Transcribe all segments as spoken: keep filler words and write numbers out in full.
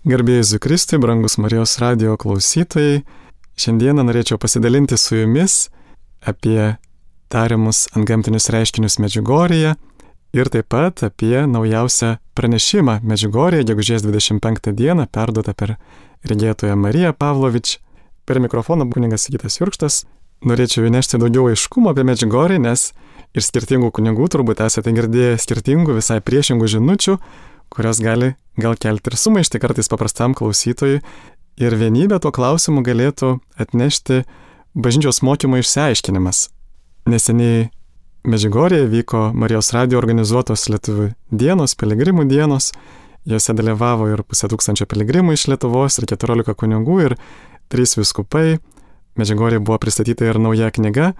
Garbėjai Jėzui Kristui, brangus Marijos radijo klausytojai, šiandieną norėčiau pasidalinti su jumis apie tariamus antgamtinius reiškinius Medžiugorjėje ir taip pat apie naujausią pranešimą Medžiugorjėje, gegužės dvidešimt penktą dieną, perduotą per regėtoją Mariją Pavlovič. Per mikrofoną kunigas Sigitas Jurkštas. Norėčiau įnešti daugiau aiškumo apie Medžiugorję, nes iš skirtingų kunigų turbūt esate girdėję skirtingų, visai priešingų žinučių, kurios gali gal kelti ir sumaištį kartais paprastam klausytojui, ir vienybę tuo klausimu galėtų atnešti bažnyčios mokymo išsiaiškinimas. Neseniai Medžiugorjėje vyko Marijos radijo organizuotos lietuvių dienos, piligrimų dienos, jose dalyvavo ir pusę tūkstančio piligrimų iš Lietuvos, ir keturiolika kunigų, ir trys vyskupai. Medžiugorjėje buvo pristatyta ir nauja knyga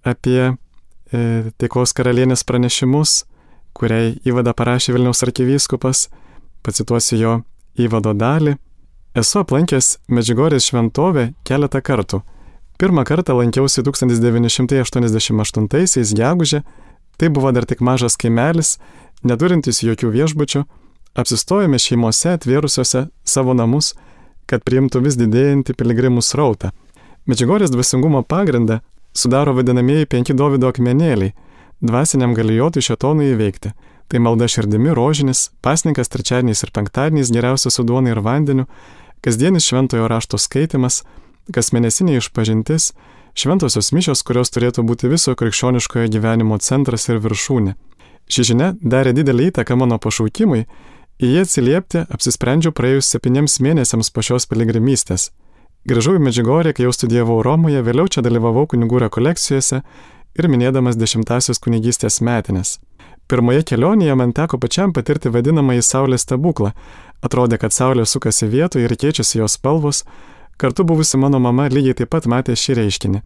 apie e, taikos karalienės pranešimus, kuriai įvadą parašė Vilniaus arkivyskupas. Pacituosiu jo įvado dalį. Esu aplankęs Medžiugorjės šventovę keletą kartų. Pirmą kartą lankiausi tūkstantis devyni šimtai aštuoniasdešimt aštuntaisiais gegužę. Tai buvo dar tik mažas kaimelis, neturintis jokių viešbučių. Apsistojome šeimose atvėrusiose savo namus, kad priimtų vis didėjantį piligrimų srautą. Medžiugorjės dvasingumo pagrindą sudaro vadinamieji penki Dovydo akmenėliai, dvasiniam galijotui šėtonui įveikti. Tai malda širdimi rožinis, pasninkas trečiadieniais ir penktadieniais geriausia su duona ir vandeniu, kasdienis šventojo rašto skaitimas, kasmėnesinė išpažintis, šventosios mišios, kurios turėtų būti viso krikščioniškojo gyvenimo centras ir viršūnė. Ši žinia darė didelį įtaką mano pašaukimui, į jį atsiliepti apsisprendžiau praėjus septyniems mėnesiams po šios piligrimystės. Grįžau į Medžiugorję, kai jau studijavau Romoje, vėliau čia dalyvavau kunigų rekolekcijose ir minėdamas dešimtasios kunigystės metines. Pirmoje kelionėje man teko pačiam patirti vadinamąjį saulės stebuklą. Atrodė, kad saulė sukasi vietoje ir keičiasi jos spalvos. Kartu buvusi mano mama lygiai taip pat matė šį reiškinį.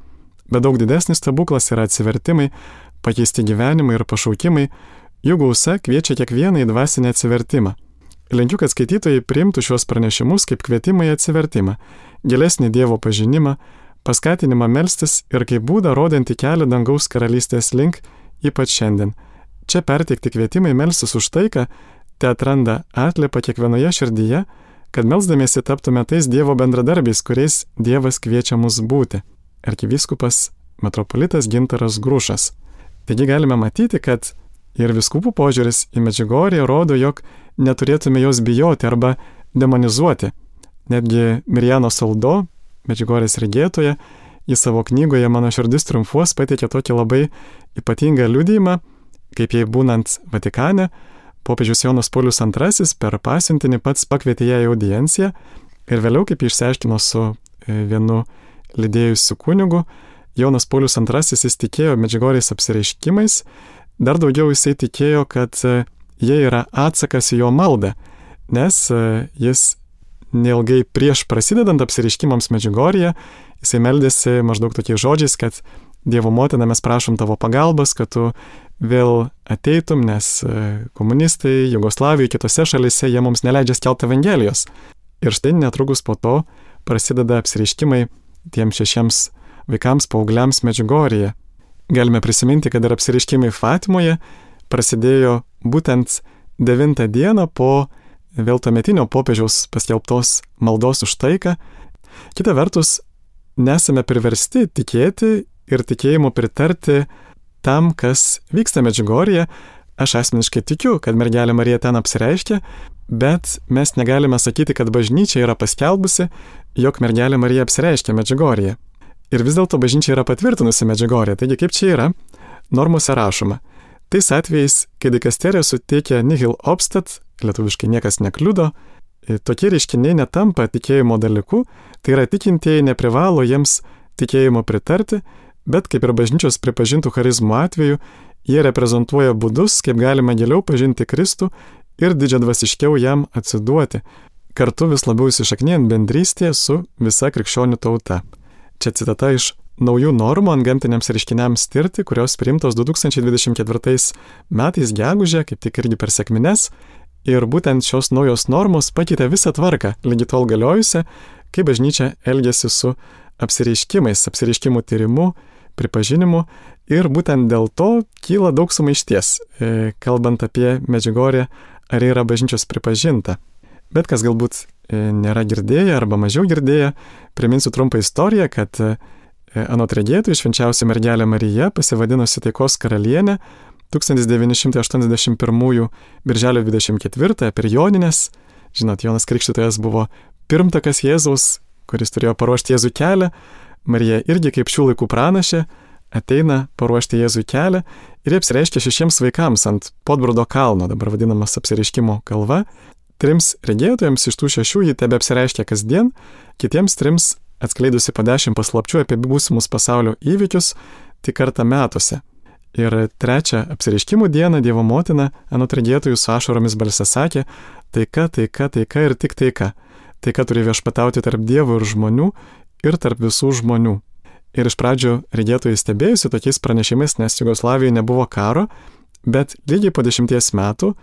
Bet daug didesnis stebuklas yra atsivertimai, pakeisti gyvenimai ir pašaukimai. Jų gausa kviečia kiekvieną į dvasinį atsivertimą. Linkiu, kad skaitytojai priimtų šios pranešimus kaip kvietimą į atsivertimą, gilesnį Dievo pažinimą, paskatinimą melstis ir kaip būdą rodantį kelią dangaus karalystės link, ypač šiandien. Čia perteikti kvietimai melstis už taiką te atranda atliepą kiekvienoje širdyje, kad melsdamiesi taptume tais Dievo bendradarbiais, kuriais Dievas kviečia mus būti. Arkivyskupas metropolitas Gintaras Grušas. Taigi galime matyti, kad ir vyskupų požiūris į Medžiugorję rodo, jog neturėtume jos bijoti arba demonizuoti. Netgi Mirjano Saldo, Medžiugorjės regėtoja, į savo knygoje Mano širdis triumfuos pateikė tokį labai ypatingą liudijimą, kaip jai būnant Vatikane, popiežius Jonas Paulius antrasis per pasiuntinį pats pakvietė ją į audienciją ir vėliau, kaip išsiaiškino su vienu lydėjusiu kunigu, Jonas Paulius antrasis jis tikėjo Medžiugorjės apsireiškimais, dar daugiau jisai tikėjo, kad jie yra atsakas į jo maldą, nes jis neilgai prieš prasidedant apsireiškimams Medžiugorjėje, jisai meldėsi maždaug tokiais žodžiais, kad Dievo motina, mes prašom tavo pagalbos, kad tu vėl ateitum, nes komunistai Jugoslavijoje, kitose šalise, jie mums neleidžia skelbti Evangelijos. Ir štai netrukus po to prasideda apsireiškimai tiems šešiems vaikams, paaugliams Medžiugorjėje. Galime prisiminti, kad ir apsireiškimai Fatimoje prasidėjo būtent devintą dieną po vėl tuometinio popiežiaus paskelbtos maldos už taiką. Kita vertus, nesame priversti tikėti ir tikėjimu pritarti tam, kas vyksta Medžiugorjėje. Aš asmeniškai tikiu, kad mergelė Marija ten apsireiškė, bet mes negalime sakyti, kad bažnyčia yra paskelbusi, jog mergelė Marija apsireiškė Medžiugorjėje. Ir vis dėlto bažnyčia yra patvirtinusi Medžiugorję. Taigi kaip čia yra? Normose rašoma. Tais atvejais, kai dikasterija suteikia nihil obstat, lietuviškai niekas nekliudo, tokie reiškiniai netampa tikėjimo dalyku, tai yra tikintieji neprivalo jiems tikėjimo pritarti, bet kaip ir bažnyčios pripažintų charizmų atveju, jie reprezentuoja būdus, kaip galima giliau pažinti Kristų ir didžiadvasiškiau jam atsiduoti, kartu vis labiau įsišaknėjant bendrystėje su visa krikščionių tauta. Čia citata iš naujų normų antgamtiniams reiškiniams tirti, kurios priimtos du tūkstančiai dvidešimt ketvirtais metais gegužę, kaip tik irgi per sekmines, ir būtent šios naujos normos pakeitė visą tvarką, lygi tol galiojusią, kaip bažnyčia elgiasi su apsireiškimais, apsireiškimų tyrimu, pripažinimu, ir būtent dėl to kyla daug sumaišties, kalbant apie Medžiugorję, ar yra bažnyčios pripažinta. Bet kas galbūt nėra girdėję arba mažiau girdėję, priminsiu trumpą istoriją, kad anot regėtojų švenčiausia mergelė Marija, pasivadinusi taikos karalienė, tūkstantis devyni šimtai aštuoniasdešimt pirmųjų birželio dvidešimt ketvirtąją per Jonines, žinot, Jonas Krikštytojas buvo pirmtakas Jėzaus, kuris turėjo paruošti Jėzų kelią, Marija irgi kaip šių laikų pranašė ateina paruošti Jėzų kelią ir apsireiškia šešiems vaikams ant Podbrudo kalno, dabar vadinamas apsireiškimo kalva. Trims regėtojams iš tų šešių jį tebe apsireiškia kasdien, kitiems trims atskleidusi po dešimt paslapčių apie būsimus pasaulio įvykius tik kartą metuose. Ir trečią apsireiškimų dieną Dievo motina anot regėtojų su ašaromis balse sakė: taika, taika, taika ir tik taika. Taika turi viešpatauti tarp Dievo ir žmonių ir tarp visų žmonių. Ir iš pradžių regėtojai stebėjusi tokiais pranešimais, nes Jugoslavijoje nebuvo karo, bet lygiai po dešimties metų,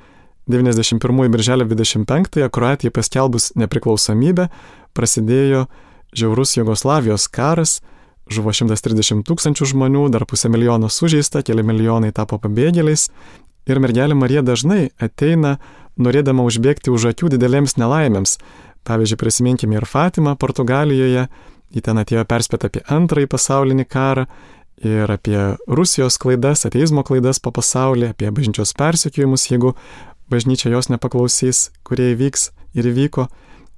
devyniasdešimt pirmųjų birželio dvidešimt penktąją, Kroatijai paskelbus nepriklausomybę, prasidėjo žiaurus Jugoslavijos karas, žuvo šimtas trisdešimt tūkstančių žmonių, dar pusę milijono sužeista, keli milijonai tapo pabėgėliais. Ir mergelė Marija dažnai ateina norėdama užbėgti už akių didelėms nelaimėms. Pavyzdžiui, prisiminkime ir Fatimą Portugalijoje, ji ten atėjo perspėti apie antrąjį pasaulinį karą ir apie Rusijos klaidas, ateizmo klaidas po pasaulį, apie bažnyčios persekiojimus, jeigu bažnyčia jos nepaklausys, kurie įvyks ir įvyko.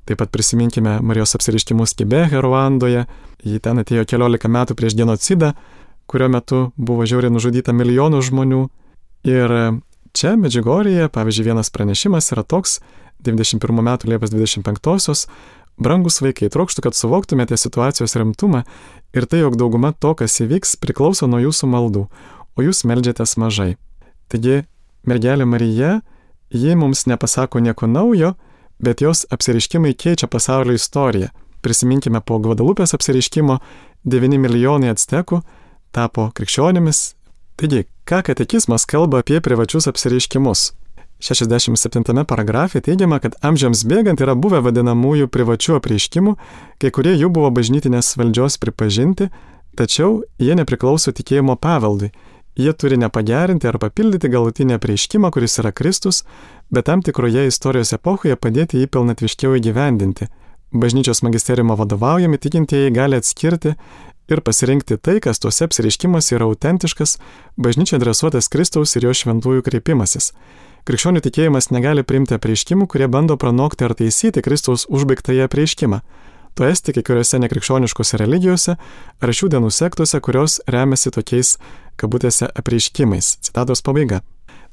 Taip pat prisiminkime Marijos apsireiškimus Kibehe, Ruandoje. Ji ten atėjo keliolika metų prieš genocidą, kurio metu buvo žiauriai nužudyta milijonų žmonių. Ir čia Medžiugorjėje, pavyzdžiui, vienas pranešimas yra toks, devyniasdešimt pirmų metų Liepos dvidešimt penktosios: brangus vaikai, trokštu, kad suvoktumėte situacijos rimtumą ir tai, jog dauguma to, kas įvyks, priklauso nuo jūsų maldų, o jūs meldžiatės mažai. Taigi, mergelė Marija, ji mums nepasako nieko naujo, bet jos apsireiškimai keičia pasaulio istoriją. Prisiminkime, po Gvadalupės apsireiškimo devyni milijonai actekų tapo krikščionimis. Taigi, ką katekizmas kalba apie privačius apsireiškimus? šešiasdešimt septintame paragrafe teigiama, kad amžiams bėgant yra buvę vadinamųjų privačių apreiškimų, kai kurie jų buvo bažnytinės valdžios pripažinti, tačiau jie nepriklauso tikėjimo paveldui. Jie turi nepagerinti ar papildyti galutinį apreiškimą, kuris yra Kristus, bet tam tikroje istorijos epochoje padėti jį pilnatviškiau įgyvendinti. Bažnyčios magisteriumo vadovaujami tikintieji gali atskirti ir pasirinkti tai, kas tuose apsireiškimuose yra autentiškas, bažnyčia adresuotas Kristaus ir jo šventųjų kreipimasis. Krikščionių tikėjimas negali priimti apreiškimų, kurie bando pranokti ar taisyti Kristaus užbaigtąjį apreiškimą. To esti kai kuriuose nekrikščioniškose religijose ar šių dienų sektose, kurios remiasi tokiais, kabutėse, apreiškimais. Citatos pabaiga.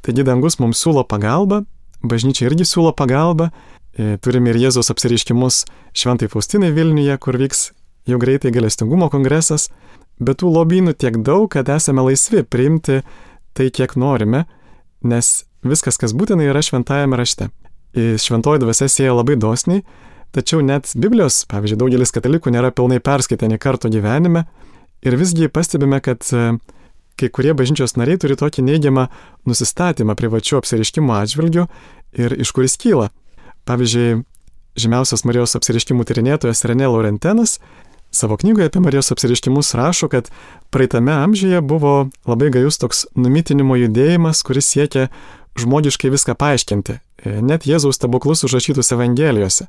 Taigi dangus mums siūlo pagalbą, bažnyčia irgi siūlo pagalbą. E, turime ir Jėzaus apsireiškimus Šventai Faustinai Vilniuje, kur vyks jau greitai gailestingumo kongresas. Bet tų lobynų tiek daug, kad esame laisvi priimti tai, kiek norime, nes viskas, kas būtina, yra šventajame rašte. Šventoji dvasia sieja labai dosniai, tačiau net Biblijos, pavyzdžiui, daugelis katalikų nėra pilnai perskaitę nė karto gyvenime ir visgi pastebime, kad kai kurie bažnyčios nariai turi tokį neigiamą nusistatymą privačių apsireiškimų atžvilgių ir iš kuris kyla. Pavyzdžiui, žymiausias Marijos apsireiškimų tyrinėtojas René Laurentenas savo knygoje apie Marijos apsireiškimus rašo, kad praeitame amžiuje buvo labai gajus toks numitinimo judėjimas, kuris siekia žmogiškai viską paaiškinti, net Jėzaus stebuklus užrašytus Evangelijose.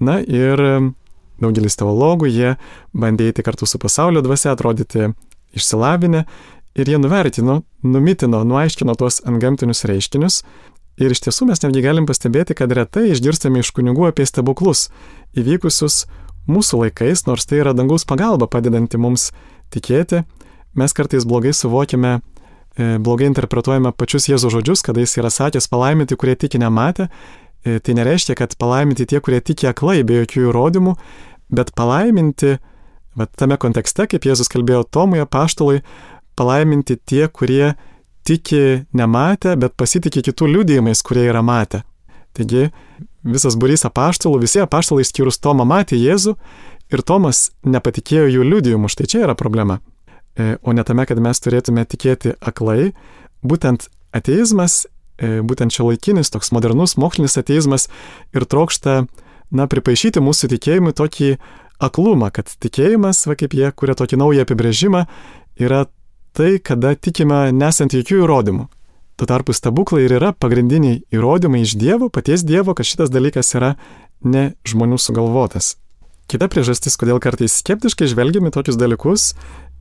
Na ir daugelis teologų, jie bandė eiti kartu su pasaulio dvasia, atrodyti išsilavinę ir jie nuvertino, numitino, nuaiškino tuos antgamtinius reiškinius. Ir iš tiesų mes netgi galim pastebėti, kad retai išgirstame iš kunigų apie stebuklus įvykusius mūsų laikais, nors tai yra dangaus pagalba padedanti mums tikėti. Mes kartais blogai suvokiame, blogai interpretuojame pačius Jėzaus žodžius, kada jis yra sakęs palaiminti, kurie tiki nematę. Tai nereiškia, kad palaiminti tie, kurie tiki aklai, be jokių įrodymų, bet palaiminti, va, tame kontekste, kaip Jėzus kalbėjo Tomui apaštalui, palaiminti tie, kurie tiki nematę, bet pasitikė kitų liudijimais, kurie yra matę. Taigi visas būrys apaštalų, visi apaštalai išskyrus Tomą matė Jėzų ir Tomas nepatikėjo jų liudijimu, štai čia yra problema. O ne tame, kad mes turėtume tikėti aklai. Būtent ateizmas, būtent šiuolaikinis, toks modernus mokslinis ateizmas ir trokšta, na, pripaišyti mūsų tikėjimui tokį aklumą, kad tikėjimas, va kaip jie kuria tokį naują apibrėžimą, yra tai, kada tikime nesant jokių įrodymų. Tuo tarpu stebuklai ir yra pagrindiniai įrodymai iš Dievo, paties Dievo, kad šitas dalykas yra ne žmonių sugalvotas. Kita priežastis, kodėl kartais skeptiškai žvelgiame tokius dalykus,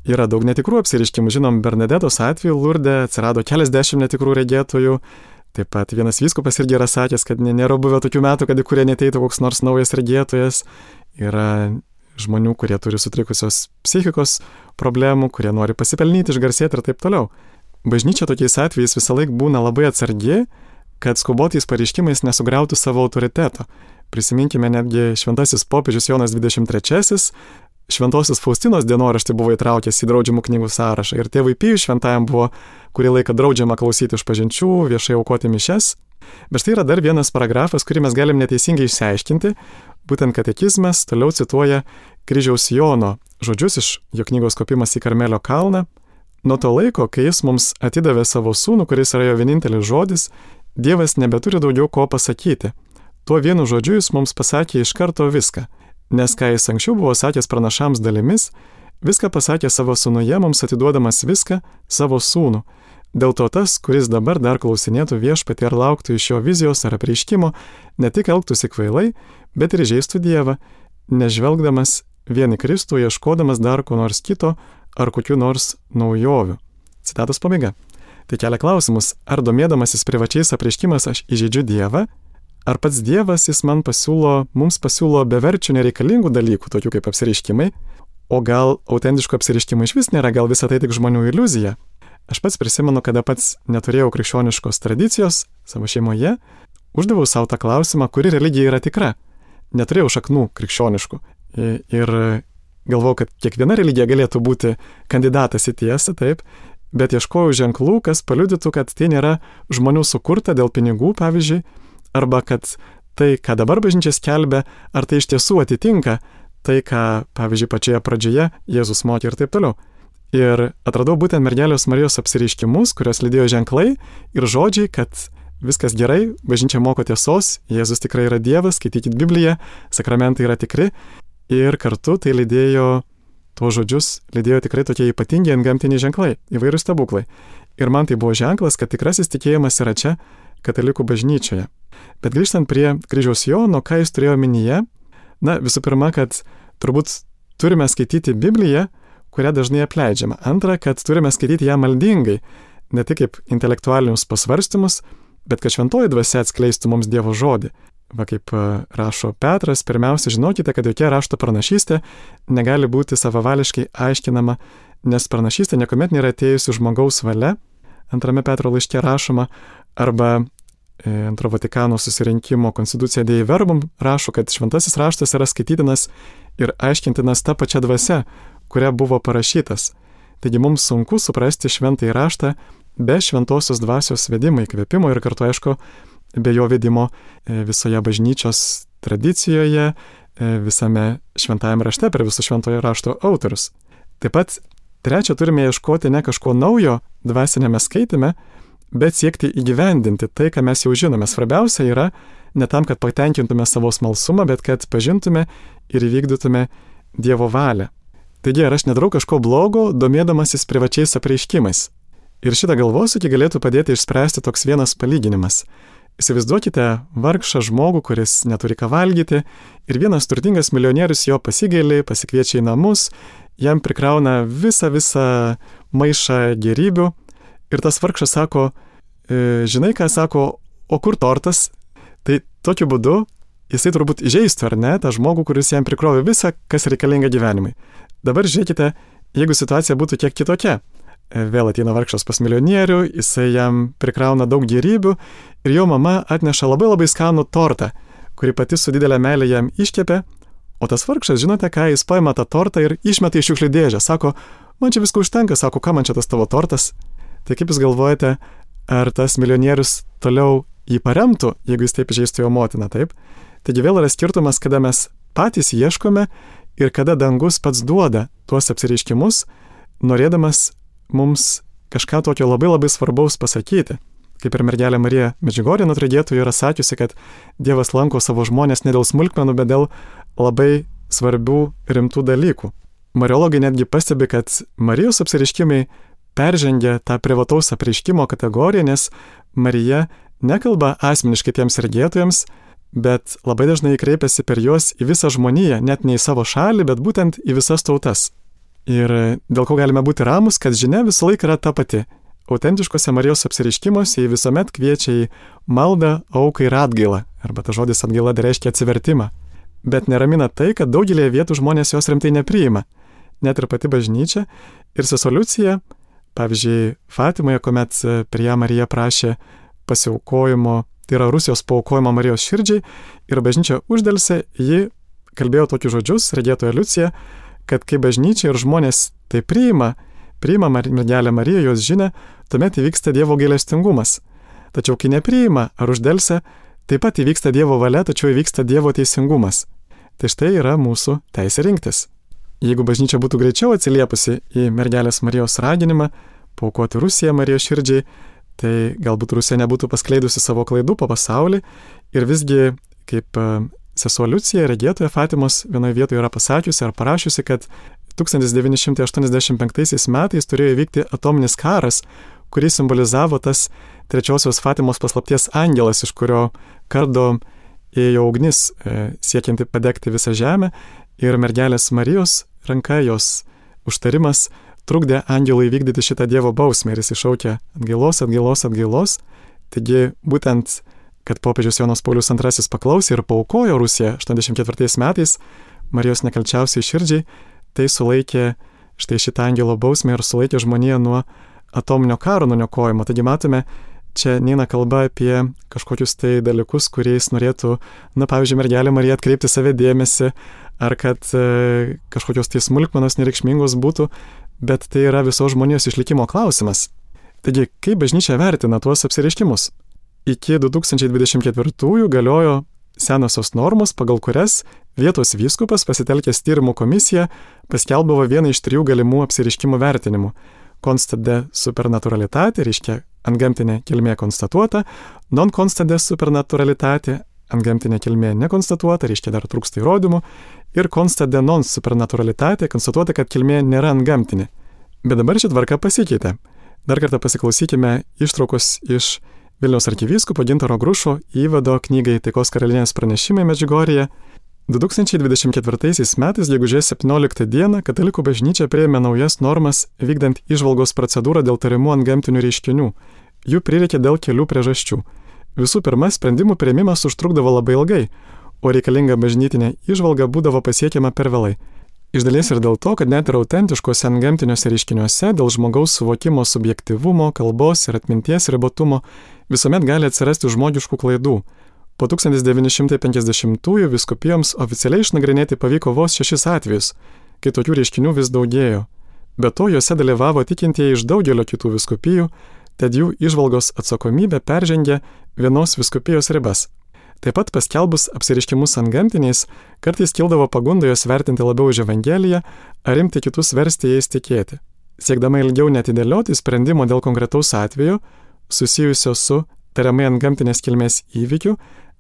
yra daug netikrų apsireiškimų. Žinom, Bernadetos atveju Lurde atsirado keliasdešimt netikrų regėtojų. Taip pat vienas vyskupas irgi yra sakęs, kad nėra buvę tokių metų, kad į kurie neteitų koks nors naujas regėtojas. Yra žmonių, kurie turi sutrikusios psichikos problemų, kurie nori pasipelnyti, išgarsėti ir taip toliau. Bažnyčia tokiais atvejais visą laiką būna labai atsargi, kad skubotais pareiškimais nesugriautų savo autoriteto. Prisiminkime, netgi šventasis popiežius Jonas dvidešimt trečiasis šventosios Faustinos dienoraštį buvo įtraukęs į draudžiamų knygų sąrašą ir tėvui Pijui šventajam buvo kurį laiką draudžiama klausyti išpažinčių, viešai aukoti mišias. Bet štai yra dar vienas paragrafas, kurį mes galim neteisingai išsiaiškinti. Būtent katekizmas toliau cituoja kryžiaus Jono žodžius iš jo knygos Kopimas į Karmelio kalną. Nuo to laiko, kai jis mums atidavė savo sūnų, kuris yra jo vienintelis žodis, Dievas nebeturi daugiau ko pasakyti. Tuo vienu žodžiu jis mums pasakė iš karto viską, nes ką jis anksčiau buvo sakęs pranašams dalimis, viską pasakė savo sūnuje, mums atiduodamas viską savo sūnų. Dėl to tas, kuris dabar dar klausinėtų viešpatį ar lauktų iš jo vizijos ar apreiškimo, ne tik elgtųsi kvailai, bet ir žeistų Dievą, nežvelgdamas vien į Kristų, ieškodamas dar ko nors kito ar kokių nors naujovių. Citatos pabaiga. Tai kelia klausimus, ar domėdamasis privačiais apreiškimas aš įžeidžiu Dievą, ar pats Dievas jis man pasiūlo, mums pasiūlo beverčių nereikalingų dalykų, tokių kaip apsireiškimai, o gal autentiškų apsireiškimų iš vis nėra, gal visą tai tik žmonių iliuzija. Aš pats prisimenu, kada pats neturėjau krikščioniškos tradicijos savo šeimoje, uždaviau savo tą klausimą, kuri religija yra tikra. Neturėjau šaknų krikščioniškų ir galvojau, kad kiekviena religija galėtų būti kandidatas į tiesą, taip, bet ieškojau ženklų, kas paliudytų, kad tai nėra žmonių sukurta dėl pinigų, pavyzdžiui, arba kad tai, ką dabar bažnyčia skelbia, ar tai iš tiesų atitinka tai, ką, pavyzdžiui, pačioje pradžioje Jėzus mokė ir taip toliau. Ir atradau būtent mergelės Marijos apsireiškimus, kurios lydėjo ženklai ir žodžiai, kad viskas gerai, bažnyčia moko tiesos, Jėzus tikrai yra Dievas, skaitykit Bibliją, sakramentai yra tikri. Ir kartu tai lydėjo, tuos žodžius lydėjo tikrai tokie ypatingi antgamtiniai ženklai, įvairūs stebuklai. Ir man tai buvo ženklas, kad tikrasis tikėjimas yra čia, katalikų bažnyčioje. Bet grįžtant prie kryžiaus Jono, ką jis turėjo omenyje, na, visų pirma, kad turbūt turime skaityti Bibliją, kurią dažnai apleidžiama. Antra, kad turime skaityti ją maldingai, ne tik kaip intelektualinius pasvarstymus, bet kad šventoji dvasia atskleistų mums Dievo žodį. Va kaip rašo Petras, pirmiausia, žinokite, kad jokia rašto pranašystė negali būti savavališkai aiškinama, nes pranašystė niekuomet nėra atėjusi žmogaus valia. Antrame Petro laiške rašoma, arba Antro Vatikano susirinkimo Constitucija Dei Verbum rašo, kad šventasis raštas yra skaitytinas ir aiškintinas ta pačia dvasia, kuria buvo parašytas. Taigi mums sunku suprasti šventąjį raštą be šventosios dvasios vedimo, įkvėpimo ir kartu, aišku, be jo vedimo visoje bažnyčios tradicijoje, visame šventajame rašte per visus šventojo rašto autorius. Taip pat trečia, turime ieškoti ne kažko naujo dvasinėme skaitime, bet siekti įgyvendinti tai, ką mes jau žinome. Svarbiausia yra ne tam, kad patenkintume savo smalsumą, bet kad pažintume ir įvykdytume Dievo valią. Taigi, ar aš nedarau kažko blogo, domėdamasis privačiais apreiškimais? Ir šitą galvosūkį galėtų padėti išspręsti toks vienas palyginimas. Įsivaizduokite vargšą žmogų, kuris neturi ką valgyti, ir vienas turtingas milijonierius jo pasigaili, pasikviečia į namus, jam prikrauna visą visą maišą gėrybių, ir tas vargšas sako, e, žinai ką sako, o kur tortas? Tai tokiu būdu jisai turbūt įžeistų, ar ne, tą žmogų, kuris jam prikrovė visą, kas reikalinga gyvenimui. Dabar žiūrėkite, jeigu situacija būtų kiek kitokia. Vėl ateina vargšas pas milijonierių, jisai jam prikrauna daug gėrybių ir jo mama atneša labai labai skanų tortą, kurį pati su didelė meilė jam iškepė, o tas vargšas, žinote ką, jis paima tą tortą ir išmeta į šiukšlių dėžę. Sako, man čia visko užtenka, sako, ką man čia tas tavo tortas? Tai kaip jūs galvojate, ar tas milijonierius toliau jį paremtų, jeigu jis taip žeistų jo motiną, taip? Taigi vėl yra skirtumas, kada mes patys ieškome ir kada dangus pats duoda tuos apsireiškimus, norėdamas mums kažką tokio labai labai svarbaus pasakyti. Kaip ir mergelė Marija Medžiugorjė nuo regėtojų yra sakiusi, kad Dievas lanko savo žmonės ne dėl smulkmenų, bet dėl labai svarbių rimtų dalykų. Mariologai netgi pastebi, kad Marijos apsireiškimai peržengia tą privataus apreiškimo kategoriją, nes Marija nekalba asmeniškai tiems regėtojams, bet labai dažnai kreipiasi per juos į visą žmoniją, net ne į savo šalį, bet būtent į visas tautas. Ir dėl ko galime būti ramus, kad žinia visą laiką yra ta pati. Autentiškose Marijos apsireiškimuose jį visuomet kviečia į maldą, auką ir atgailą, arba ta žodis atgaila tai reiškia atsivertimą. Bet neramina tai, kad daugelėje vietų žmonės jos rimtai nepriima. Net ir pati bažnyčia ir sesuo Liucija, pavyzdžiui, Fatimoje, kuomet prie ją Marija prašė pasiaukojimo, tai yra Rusijos paaukojimo Marijos širdžiai, ir bažnyčia uždelsė, ji kalbėjo tokius žodžius, regėtoja Liucija, kad kai bažnyčia ir žmonės tai priima, priima mergelę Mariją, jos žinią, tuomet įvyksta Dievo gailestingumas. Tačiau kai nepriima ar uždelsia, taip pat įvyksta Dievo valia, tačiau įvyksta Dievo teisingumas. Tai štai yra mūsų teisė rinktis. Jeigu bažnyčia būtų greičiau atsiliepusi į mergelės Marijos raginimą paaukoti Rusiją Marijos širdžiai, tai galbūt Rusija nebūtų paskleidusi savo klaidų po pasaulį ir visgi, kaip sesuo Liucija, regėtoja Fatimos, vienoje vietoje yra pasakiusi ar parašiusi, kad tūkstantis devyni šimtai aštuoniasdešimt penktaisiais metais turėjo įvykti atominis karas, kurį simbolizavo tas trečiosios Fatimos paslapties angelas, iš kurio kardo ėjo ugnis, e, siekianti padegti visą žemę, ir mergelės Marijos ranka, jos užtarimas trukdė angelui vykdyti šitą Dievo bausmę ir jis iššaukė atgailos, atgailos, atgailos. Taigi būtent, kad popiežius Jonas Paulius antrasis paklausė ir paaukojo Rusiją aštuoniasdešimt ketvirtais metais Marijos nekalčiausiai širdžiai, tai sulaikė štai šitą angelo bausmę ir sulaikė žmoniją nuo atominio karo nuniokojimo. Taigi matome, čia neina kalba apie kažkokius tai dalykus, kuriais norėtų, na pavyzdžiui, mergelė Marija atkreipti save dėmesį, ar kad e, kažkokios tai smulkmenos nereikšmingos būtų, bet tai yra visos žmonijos išlikimo klausimas. Taigi, kaip bažnyčia vertina tuos apsireiškimus? Iki du tūkstančiai dvidešimt ketvirtųjų galiojo senosios normos, pagal kurias vietos vyskupas, pasitelkęs tyrimų komisiją, paskelbdavo vieną iš trijų galimų apsireiškimų vertinimų. Constat de supernaturalitate, reiškia antgamtinė kilmė konstatuota, non constat de supernaturalitate, antgamtinė kilmė nekonstatuota, reiškia dar trūksta įrodymų, ir constat de non supernaturalitate, konstatuota, kad kilmė nėra antgamtinė. Bet dabar ši tvarka pasikeitė. Dar kartą pasiklausykime ištraukos iš Vilniaus arkivyskupo Gintaro Grušo įvado knygai Taikos karalienės pranešimai Medžiugorjėje. du tūkstančiai dvidešimt ketvirtaisiais metais, gegužės septynioliktą dieną, katalikų bažnyčia priėmė naujas normas vykdant įžvalgos procedūrą dėl tariamų antgamtinių reiškinių. Jų prireikė dėl kelių priežasčių. Visų pirma, sprendimų priėmimas užtrukdavo labai ilgai, o reikalinga bažnytinė įžvalga būdavo pasiekiama per vėlai. Iš dalies ir dėl to, kad net ir autentiškose antgamtiniuose reiškiniuose dėl žmogaus suvokimo subjektyvumo, kalbos ir atminties ribotumo visuomet gali atsirasti žmogiškų klaidų. Po tūkstantis devyni šimtai penkiasdešimtųjų vyskupijoms oficialiai išnagrinėti pavyko vos šešis atvejus, kai tokių reiškinių vis daugėjo. Be to, juose dalyvavo tikintieji iš daugelio kitų vyskupijų, tad jų įžvalgos atsakomybė peržengė vienos vyskupijos ribas. Taip pat paskelbus apsireiškimus antgamtiniais, kartais kildavo pagunda juos vertinti labiau už Evangeliją, ar imti kitus versti jais tikėti. Siekdama ilgiau netidėlioti sprendimo dėl konkretaus atvejo, susijusio su tariamai antgamtinės kilmės įvykiu,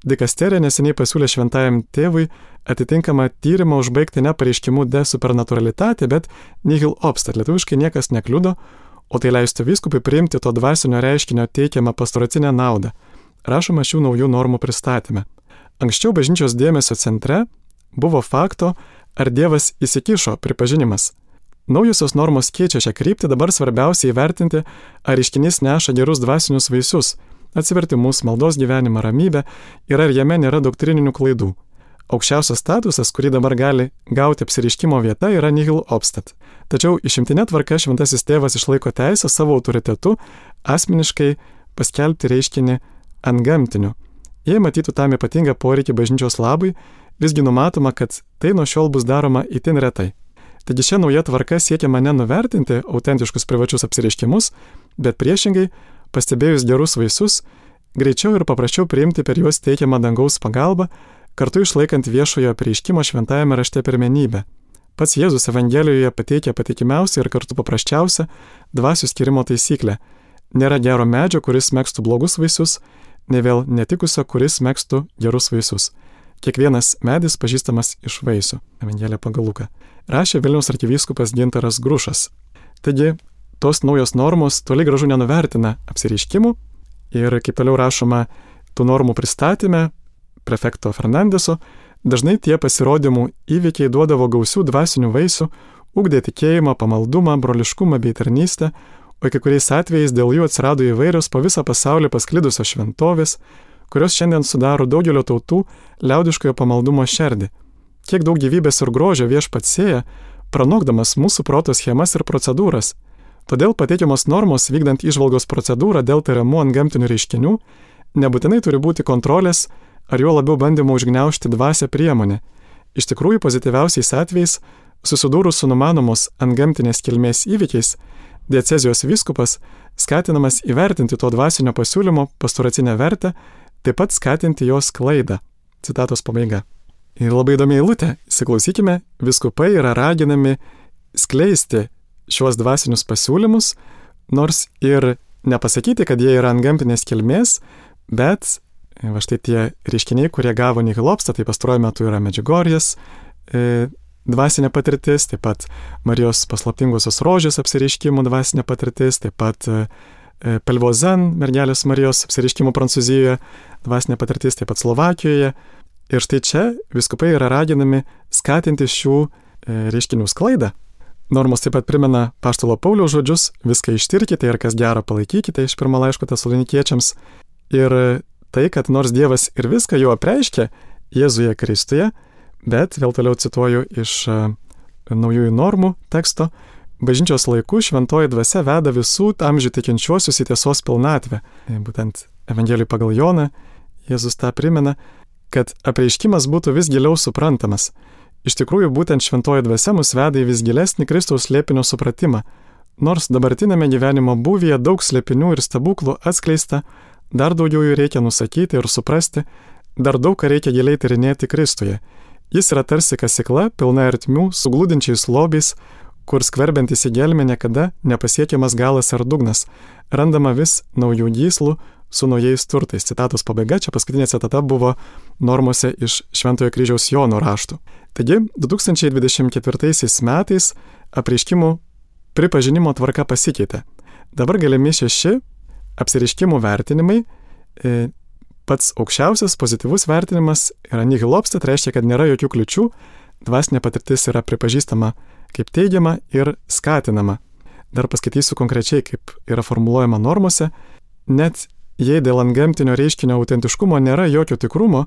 dikasterija neseniai pasiūlė šventajam tėvui atitinkamą tyrimą užbaigti ne pareiškimu de supernaturalitate, bet nihil obstat, lietuviškai niekas nekliudo, o tai leistų vyskupui priimti to dvasinio reiškinio teikiamą pastoracinę naudą. Rašoma šių naujų normų pristatyme. Anksčiau bažnyčios dėmesio centre buvo fakto, ar Dievas įsikišo pripažinimas. Naujosios normos keičia šią kryptį, dabar svarbiausia įvertinti, ar reiškinys neša gerus dvasinius vaisius, atsivertimus, maldos gyvenimą, ramybę ir ar jame nėra doktrininių klaidų. Aukščiausias statusas, kurį dabar gali gauti apsireiškimo vieta, yra nihil obstat. Tačiau išimtinė tvarka šventasis tėvas išlaiko teisę savo autoritetu asmeniškai paskelbti reiškinį antgamtiniu. Jei matytų tam ypatingą poreikį bažnyčios labui, visgi numatoma, kad tai nuo šiol bus daroma itin retai. Taigi šią naują tvarką siekiama nenuvertinti autentiškus privačius apsireiškimus, bet priešingai, pastebėjus gerus vaisius, greičiau ir paprasčiau priimti per juos teikiamą dangaus pagalbą, kartu išlaikant viešojo apreiškimo šventajame rašte pirmenybę. Pats Jėzus Evangelijoje pateikia patikimiausią ir kartu paprasčiausią dvasių skirimo taisyklę. Nėra gero medžio, kuris megztų blogus vaisius, ne vėl netikusio, kuris megztų gerus vaisius. Kiekvienas medis pažįstamas iš vaisių. Evangelija pagal Luką. Rašė Vilniaus arkivyskupas Gintaras Grušas. Taigi, tos naujos normos toli gražu nenuvertina apsireiškimų ir, kaip toliau rašoma, tų normų pristatyme, prefekto Fernandeso, dažnai tie pasirodymų įvykiai duodavo gausių dvasinių vaisių, ugdė tikėjimą, pamaldumą, broliškumą bei tarnystę, o kai kuriais atvejais dėl jų atsirado įvairios po visą pasaulį pasklidusios šventovės, kurios šiandien sudaro daugelio tautų liaudiškojo pamaldumo šerdį. Kiek daug gyvybės ir grožio viešpats sėja, pranokdamas mūsų proto schemas ir procedūras. Todėl pateikiamos normos vykdant įžvalgos procedūrą dėl tariamų antgamtinių reiškinių nebūtinai turi būti kontrolės ar juo labiau bandymo užgniaužti dvasią priemonė. Iš tikrųjų, pozityviausiais atvejais, susidūrus su numanomos antgamtinės kilmės įvykiais, diecezijos vyskupas skatinamas įvertinti to dvasinio pasiūlymo pastoracinę vertę, taip pat skatinti jos sklaidą. Citatos pabaiga. Ir labai įdomi eilutė. Įsiklausykime, vyskupai yra raginami skleisti šiuos dvasinius pasiūlymus, nors ir nepasakyti, kad jie yra antgamtinės kilmės, bet va štai tie reiškiniai, kurie gavo nihilopstą, tai pastaruoju metu yra Medžiugorjės e, dvasinė patirtis, taip pat Marijos paslaptingosios rožės apsireiškimų dvasinė patirtis, taip pat e, Pelvozen, mergelės Marijos apsireiškimų Prancūzijoje dvasinė patirtis, taip pat Slovakijoje. Ir štai čia vyskupai yra raginami skatinti šių e, reiškinių sklaidą. Normos taip pat primena apaštalo Pauliaus žodžius, viską ištirkite ir kas gera palaikykite iš pirmo laiško tesalonikiečiams. Ir tai, kad nors Dievas ir viską jau apreiškė Jėzuje Kristuje, bet vėl toliau cituoju iš e, naujųjų normų teksto, bažnyčios laikų šventoji dvasia veda visų amžių tikinčiuosius į tiesos pilnatvę. E, būtent Evangelijų pagal Joną Jėzus tą primena, kad apreiškimas būtų vis giliau suprantamas. Iš tikrųjų, būtent šventoji dvasia mus veda į vis gilesnį Kristaus slėpinio supratimą. Nors dabartinėme gyvenimo būvyje daug slėpinių ir stebuklų atskleista, dar daugiau jų reikia nusakyti ir suprasti, dar daug ką reikia giliai tyrinėti Kristuje. Jis yra tarsi kasykla, pilna ertmių, suglūdinčiais lobiais, kur skverbiantis į gelmę niekada nepasiekiamas galas ar dugnas, randama vis naujų gyslų, su naujais turtais. Citatos pabaiga, čia paskutinė citata buvo normose iš Šventojo kryžiaus Jono raštų. Taigi, du tūkstančiai dvidešimt ketvirtaisiais metais apreiškimų pripažinimo tvarka pasikeitė. Dabar galimi šeši apsireiškimų vertinimai. E, pats aukščiausias pozityvus vertinimas yra nihilopsta, tai reiškia, kad nėra jokių kliučių, dvasinė patirtis yra pripažįstama kaip teigiama ir skatinama. Dar paskaitysiu konkrečiai, kaip yra formuluojama normose. Net jei dėl antgamtinio reiškinio autentiškumo nėra jokio tikrumo,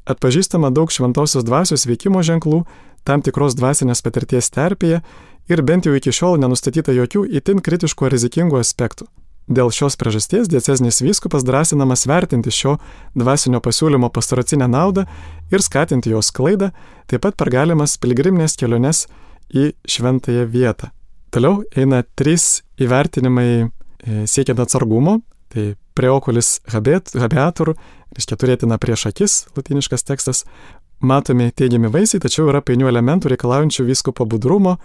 atpažįstama daug šventosios dvasios veikimo ženklų, tam tikros dvasinės patirties terpėje ir bent jau iki šiol nenustatyta jokių itin kritiškų ar rizikingų aspektų. Dėl šios priežasties diecezinis vyskupas drąsinamas vertinti šio dvasinio pasiūlymo pastoracinę naudą ir skatinti jos sklaidą, taip pat per galimas piligriminės keliones į šventąją vietą. Toliau eina trys įvertinimai siekiant atsargumo. Tai preoculis habeatur, reiškia turėtina prieš akis, latiniškas tekstas, matomi teigiami vaisiai, tačiau yra painių elementų reikalaujančių vyskupo budrumo.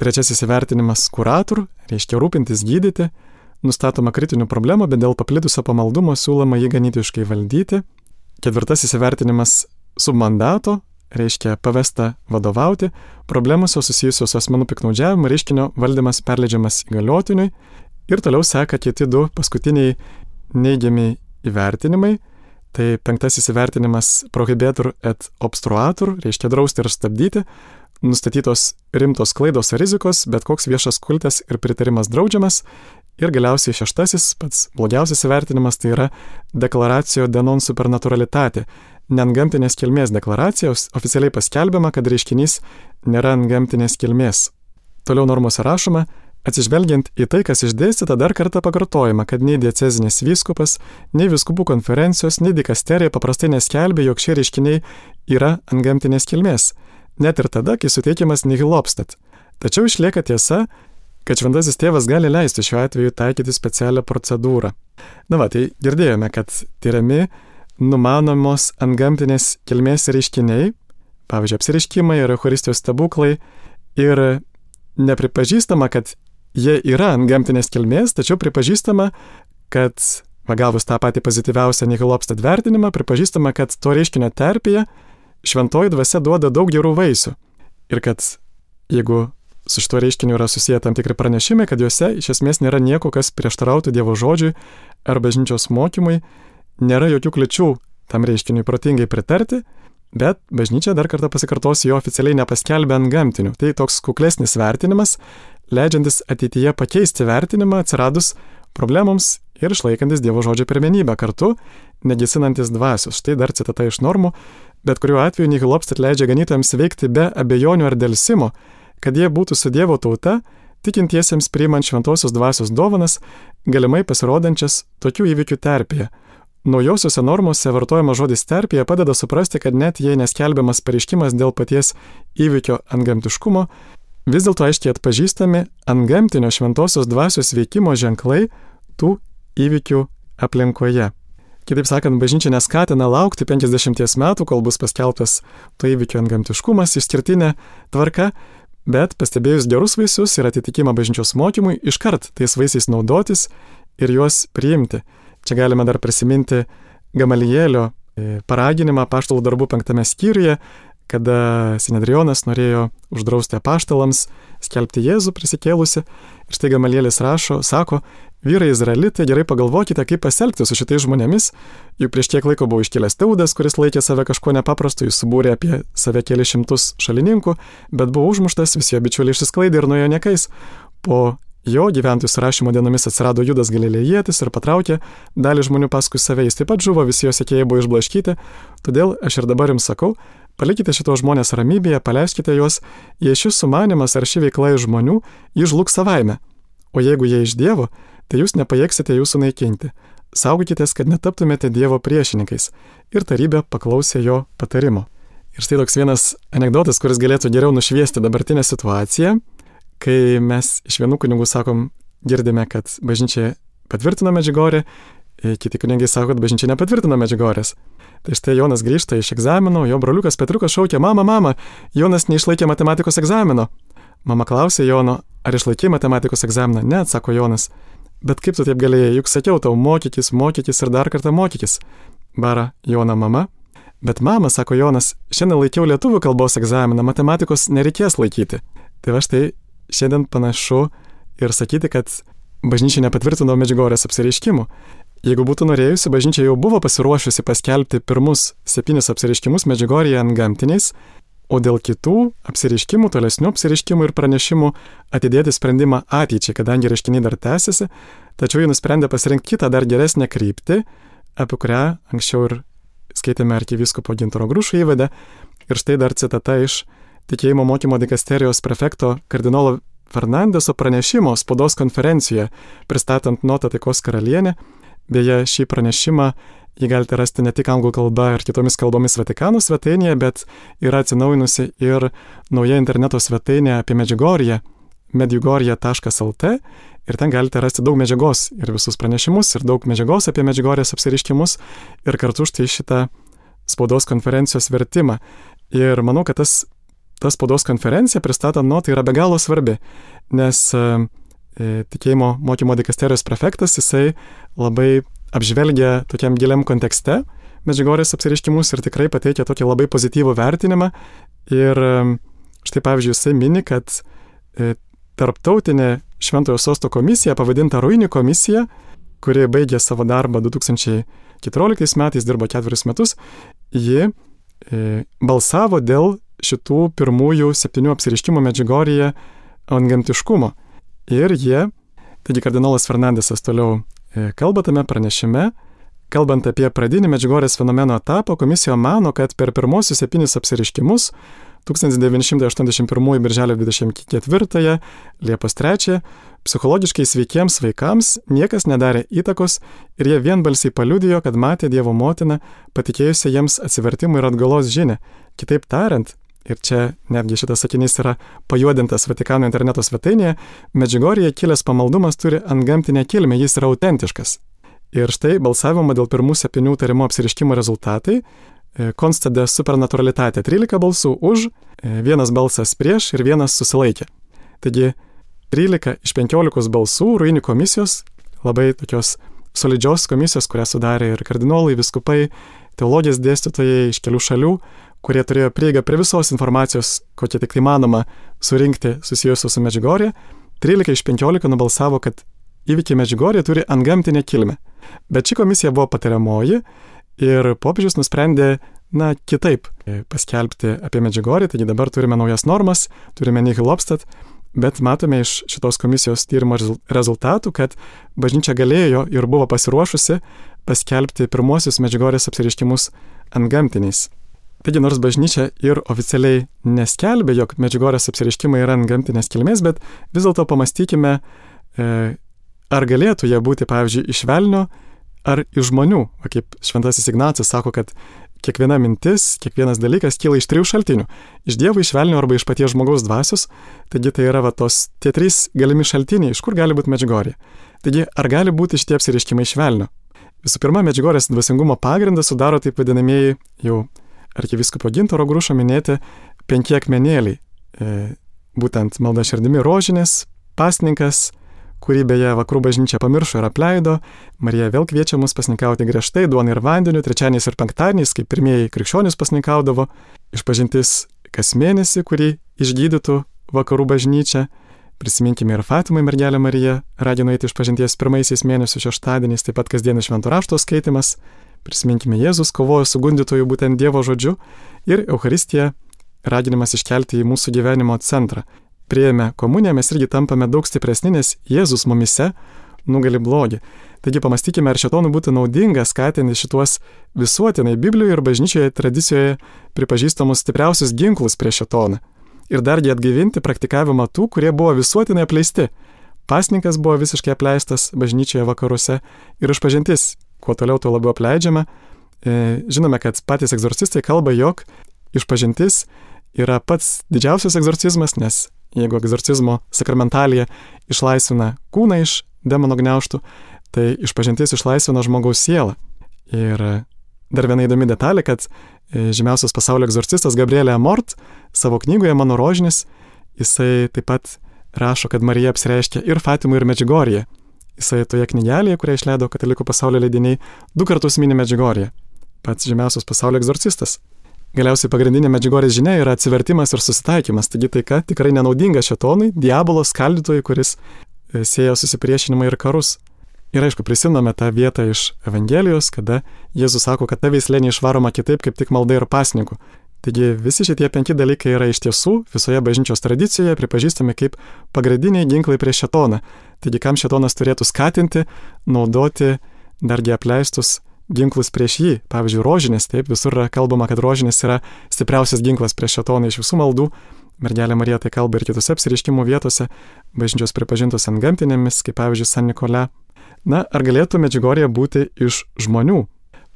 Trečiasis įvertinimas curatur, reiškia rūpintis gydyti, nustatoma kritinių problemų, bet dėl paplitusio pamaldumo siūloma jį ganytiškai valdyti. Ketvirtasis įvertinimas submandato, reiškia pavesta vadovauti, problemos susijusios su asmenų piktnaudžiavimu, reiškinio valdymas perleidžiamas įgaliotiniui. Ir toliau seka kiti du paskutiniai neigiami įvertinimai. Tai penktasis įvertinimas prohibetur et obstruatur, reiškia drausti ir stabdyti. Nustatytos rimtos klaidos ar rizikos, bet koks viešas kultas ir pritarimas draudžiamas. Ir galiausiai šeštasis, pats blogiausias įvertinimas, tai yra deklaracijo de non supernaturalitate. Neantgamtinės kilmės deklaracijos oficialiai paskelbiama, kad reiškinys nėra antgamtinės kilmės. Toliau normose rašoma, atsižvelgiant į tai, kas išdėstyta, dar kartą pakartojama, kad nei diecezinis vyskupas, nei vyskupų konferencijos, nei dikasterija paprastai neskelbė, jog šie reiškiniai yra antgamtinės kilmės, net ir tada, kai suteikiamas nihilopstat. Tačiau išlieka tiesa, kad šventasis tėvas gali leisti šiuo atveju taikyti specialią procedūrą. Na va, tai girdėjome, kad tyriami numanomos antgamtinės kilmės reiškiniai, pavyzdžiui, apsireiškimai ir eucharistijos stebuklai, ir nepripažįstama, kad jie yra antgamtinės kilmės, tačiau pripažįstama, kad, va, gavus tą patį pozityviausią nihilopstat vertinimą, pripažįstama, kad to reiškinio terpėje šventoji dvasia duoda daug gerų vaisių. Ir kad jeigu su šituo reiškiniu yra susiję tam tikri pranešimai, kad juose iš esmės nėra nieko, kas prieštarautų Dievo žodžiui ar bažnyčios mokymui, nėra jokių kliučių tam reiškiniui protingai pritarti, bet bažnyčia, dar kartą pasikartosiu, jo oficialiai nepaskelbė antgamtiniu. Tai toks kuklesnis vertinimas, leidžiantis ateityje pakeisti vertinimą atsiradus problemoms ir išlaikantis Dievo žodžio pirmenybę kartu, negesinantis dvasios. Štai dar citata iš normų, bet kuriuo atveju Nihil Obstat leidžia ganytojams veikti be abejonių ar delsimo, kad jie būtų su Dievo tauta, tikintiesiems priimant šventosios dvasios dovanas, galimai pasirodančias tokių įvykių terpėje. Naujosiuose normose vartojamas žodis terpėje padeda suprasti, kad net jei neskelbiamas pareiškimas dėl paties įvykio antgamtiškumo, vis dėlto aiškiai atpažįstami antgamtinio šventosios dvasios veikimo ženklai tų įvykių aplinkoje. Kitaip sakant, bažnyčia neskatina laukti penkiasdešimties metų, kol bus paskelbtas to įvykio antgamtiškumas, išskirtinė tvarka, bet pastebėjus gerus vaisius ir atitikimą bažnyčios mokymui, iškart tais vaisiais naudotis ir juos priimti. Čia galime dar prisiminti Gamalielio paraginimą apaštalų darbų penktame skyriuje, kada Sinedrionas norėjo uždrausti apaštalams skelbti Jėzų prisikėlusi. Ir štai Gamalielis rašo, sako, vyrai izraelitai, gerai pagalvokite, kaip pasielgti su šitais žmonėmis, juk prieš kiek laiko buvo iškėlęs Teudas, kuris laikė save kažko nepaprasto, jis subūrė apie save keli šimtus šalininkų, bet buvo užmuštas, visi jo bičiuliai išsisklaidė ir nuėjo niekais. Po jo gyventojų surašymo dienomis atsirado Judas Galilėjietis ir patraukė dalį žmonių paskui save, jis taip pat žuvo, visi jo sekėjai buvo išblaškyti, todėl aš ir dabar jums sakau, palikite šitos žmonės ramybėje, paleiskite juos, jei šis sumanimas ar ši veikla iš žmonių, jį žlugs savaime, o jeigu jie iš Dievo, tai jūs nepajėgsite jų sunaikinti. Saugokitės, kad netaptumėte Dievo priešininkais. Ir tarybė paklausė jo patarimo. Ir štai toks vienas anekdotas, kuris galėtų geriau nušviesti dabartinę situaciją, kai mes iš vienų kunigų sakom, girdime, kad bažnyčia patvirtino Medžiugorję, kiti kunigai sako, kad bažnyčia nepatvirtino Medžiugorės. Tai štai Jonas grįžta iš egzamino, jo broliukas Petrukas šaukia, mama, mama, Jonas neišlaikė matematikos egzamino. Mama klausė Jono, ar išlaikė matematikos egzaminą? Ne, atsako Jonas. Bet kaip tu taip galėjai, juk sakiau tau, mokykis, mokykis ir dar kartą mokykis. Bara Jono mama. Bet mama, sako Jonas, šiandien laikiau lietuvių kalbos egzaminą, matematikos nereikės laikyti. Tai va štai šiandien panašu ir sakyti, kad bažnyčia nepatvirtino Medžiugorės apsireiškimų. Jeigu būtų norėjusi, bažnyčia jau buvo pasiruošusi paskelbti pirmus septynis apsireiškimus Medžiugorėje antgamtiniais, o dėl kitų apsireiškimų, tolesnių apsireiškimų ir pranešimų atidėti sprendimą ateičiai, kadangi reiškiniai dar tęsiasi, tačiau jie nusprendė pasirinkti kitą dar geresnę kryptį, apie kurią anksčiau ir skaitėme arkivyskupo Gintaro Grušo įvadą. Ir štai dar citata iš tikėjimo mokymo dikasterijos prefekto kardinolo Fernandeso pranešimo spaudos konferencijoje, pristatant notą Taikos karalienę. Beje, šį pranešimą jį galite rasti ne tik anglų kalba ir kitomis kalbomis Vatikano svetainėje, bet yra atsinaujinusi ir nauja interneto svetainė apie Medžiugorję, medjugorje taškas lt, ir ten galite rasti daug medžiagos ir visus pranešimus, ir daug medžiagos apie Medžiugorės apsireiškimus, ir kartu štai šitą spaudos konferencijos vertimą. Ir manau, kad tas, tas spaudos konferencija pristatant notą yra be galo svarbi, nes tikėjimo mokymo dikasterijos prefektas, jisai labai apžvelgia tokiam giliam kontekste Medžiugorės apsireiškimus ir tikrai pateikia tokį labai pozityvų vertinimą. Ir štai pavyzdžiui, jisai mini, kad tarptautinė Šventojo Sosto komisija, pavadinta Ruini komisija, kuri baigė savo darbą du tūkstančiai keturioliktais metais, dirbo ketverius metus, ji balsavo dėl šitų pirmųjų septynių apsireiškimų Medžiugorėje antgamtiškumo. Ir jie, taigi kardinolas Fernandesas toliau kalba tame pranešime, kalbant apie pradinį Medžiugorės fenomeno etapą, komisija mano, kad per pirmosius septynis apsireiškimus tūkstantis devyni šimtai aštuoniasdešimt pirmųjų birželio dvidešimt ketvirtąją, Liepos trečiąją, psichologiškai sveikiems vaikams niekas nedarė įtakos ir jie vienbalsiai paliudijo, kad matė Dievo motiną, patikėjusią jiems atsivertimų ir atgalos žinią. Kitaip tariant, ir čia netgi šitas sakinys yra pajuodintas Vatikano interneto svetainėje, Medžiugorėje kilęs pamaldumas turi antgamtinę kilmę, jis yra autentiškas. Ir štai balsavimo dėl pirmų septynių tariamų apsireiškimų rezultatai consta de supernaturalitate. trylika balsų už, vienas balsas prieš ir vienas susilaikė. Taigi trylika iš penkiolikos balsų Ruini komisijos, labai tokios solidžios komisijos, kurią sudarė ir kardinolai, viskupai, teologijos dėstytojai iš kelių šalių, kurie turėjo prieigą prie visos informacijos, kokia tik įmanoma surinkti susijusios su Medžiugorė, trylika iš penkiolika nubalsavo, kad įvykiai Medžiugorė turi antgamtinę kilmę. Bet ši komisija buvo patariamoji Ir popiežius nusprendė, na, kitaip paskelbti apie Medžiugorję, taigi dabar turime naujas normas, turime nihil obstat, bet matome iš šitos komisijos tyrimo rezultatų, kad bažnyčia galėjo ir buvo pasiruošusi paskelbti pirmosius Medžiugorės apsireiškimus antgamtiniais. Taigi nors bažnyčia ir oficialiai neskelbė, jog Medžiugorės apsireiškimai yra antgamtinės kilmės, bet vis dėlto pamastykime, ar galėtų jie būti, pavyzdžiui, iš velnio ar iš žmonių. O kaip šventasis Ignacas sako, kad kiekviena mintis, kiekvienas dalykas kyla iš trijų šaltinių. Iš Dievo, iš velnio arba iš paties žmogaus dvasios. Taigi tai yra va tos tie trys galimi šaltiniai, iš kur gali būti Medžiugorė. Taigi ar gali būti šitie apsireiškimai iš velnio? Visų pirma, Medžiugorės dvasingumo pagrindą sudaro taip vadinamieji jau arkivyskupo Gintaro Grušo minėti penki akmenėliai. E, būtent malda širdimi rožinės, pasninkas, kurį beje vakarų bažnyčia pamiršo ir apleido. Marija vėl kviečia mus pasninkauti griežtai, duona ir vandeniu, trečiadieniais ir penktadieniais, kaip pirmieji krikščionys pasninkaudavo, išpažintis kas mėnesį, kurį išgydytų vakarų bažnyčia. Prisiminkime ir Fatimai mergelę Mariją, ragino eiti išpažinties pirmaisiais mėnesių šeštadieniais, taip pat kasdienis švento rašto skaitimas. Prisiminkime Jėzus kovojo su gundytoju būtent Dievo žodžiu ir Eucharistija, raginimas iškelti į mūsų gyvenimo centrą. Priėmę komuniją mes irgi tampame daug stipresni, nes Jėzus mumise nugali blogį. Taigi pamastykime, ar šėtonui būtų naudinga skatinti šituos visuotinai Biblijoje ir bažnyčioje tradicijoje pripažįstamus stipriausius ginklus prieš šėtoną. Ir dargi atgaivinti praktikavimą tų, kurie buvo visuotinai apleisti. Pasninkas buvo visiškai apleistas bažnyčioje vakaruose ir išpažintis, kuo toliau tuo labiau apleidžiama. E, žinome, kad patys egzorcistai kalba, jog išpažintis yra pats didžiausias egzorcizmas, nes jeigu egzorcizmo sakramentalija išlaisvina kūną iš demono gniaužtų, tai išpažintis išlaisvina žmogaus sielą. Ir dar viena įdomi detalė, kad žymiausias pasaulio egzorcistas Gabrielė Amort savo knygoje Mano rožinis, jisai taip pat rašo, kad Marija apsireiškia ir Fatimui, ir Medžiugorėje. Jisai toje knygelėje, kurią išleido Katalikų pasaulio leidiniai, du kartus mini Medžiugorėje. Pats žymiausias pasaulio egzorcistas. Galiausiai pagrindinė Medžiugorės žinia yra atsivertimas ir susitaikymas, taigi taika tikrai nenaudinga šėtonui, diabolo skaldytojui, kuris sieja susipriešinimą ir karus. Ir aišku, prisimename tą vietą iš Evangelijos, kada Jėzus sako, kad ta veislė neišvaroma kitaip, kaip tik malda ir pasninku. Taigi visi šitie penki dalykai yra iš tiesų visoje bažnyčios tradicijoje pripažįstami kaip pagrindiniai ginklai prieš šėtoną. Taigi kam šėtonas turėtų skatinti, naudoti dargi apleistus ginklus prieš jį. Pavyzdžiui, rožinės, taip, visur yra kalbama, kad rožinės yra stipriausias ginklas prieš šėtoną iš visų maldų. Mergelė Marija tai kalba ir kitose apsireiškimų vietose, bažnyčios pripažintos antgamtinėmis, kaip pavyzdžiui San Nikolė. Na, ar galėtų Medžiugorė būti iš žmonių?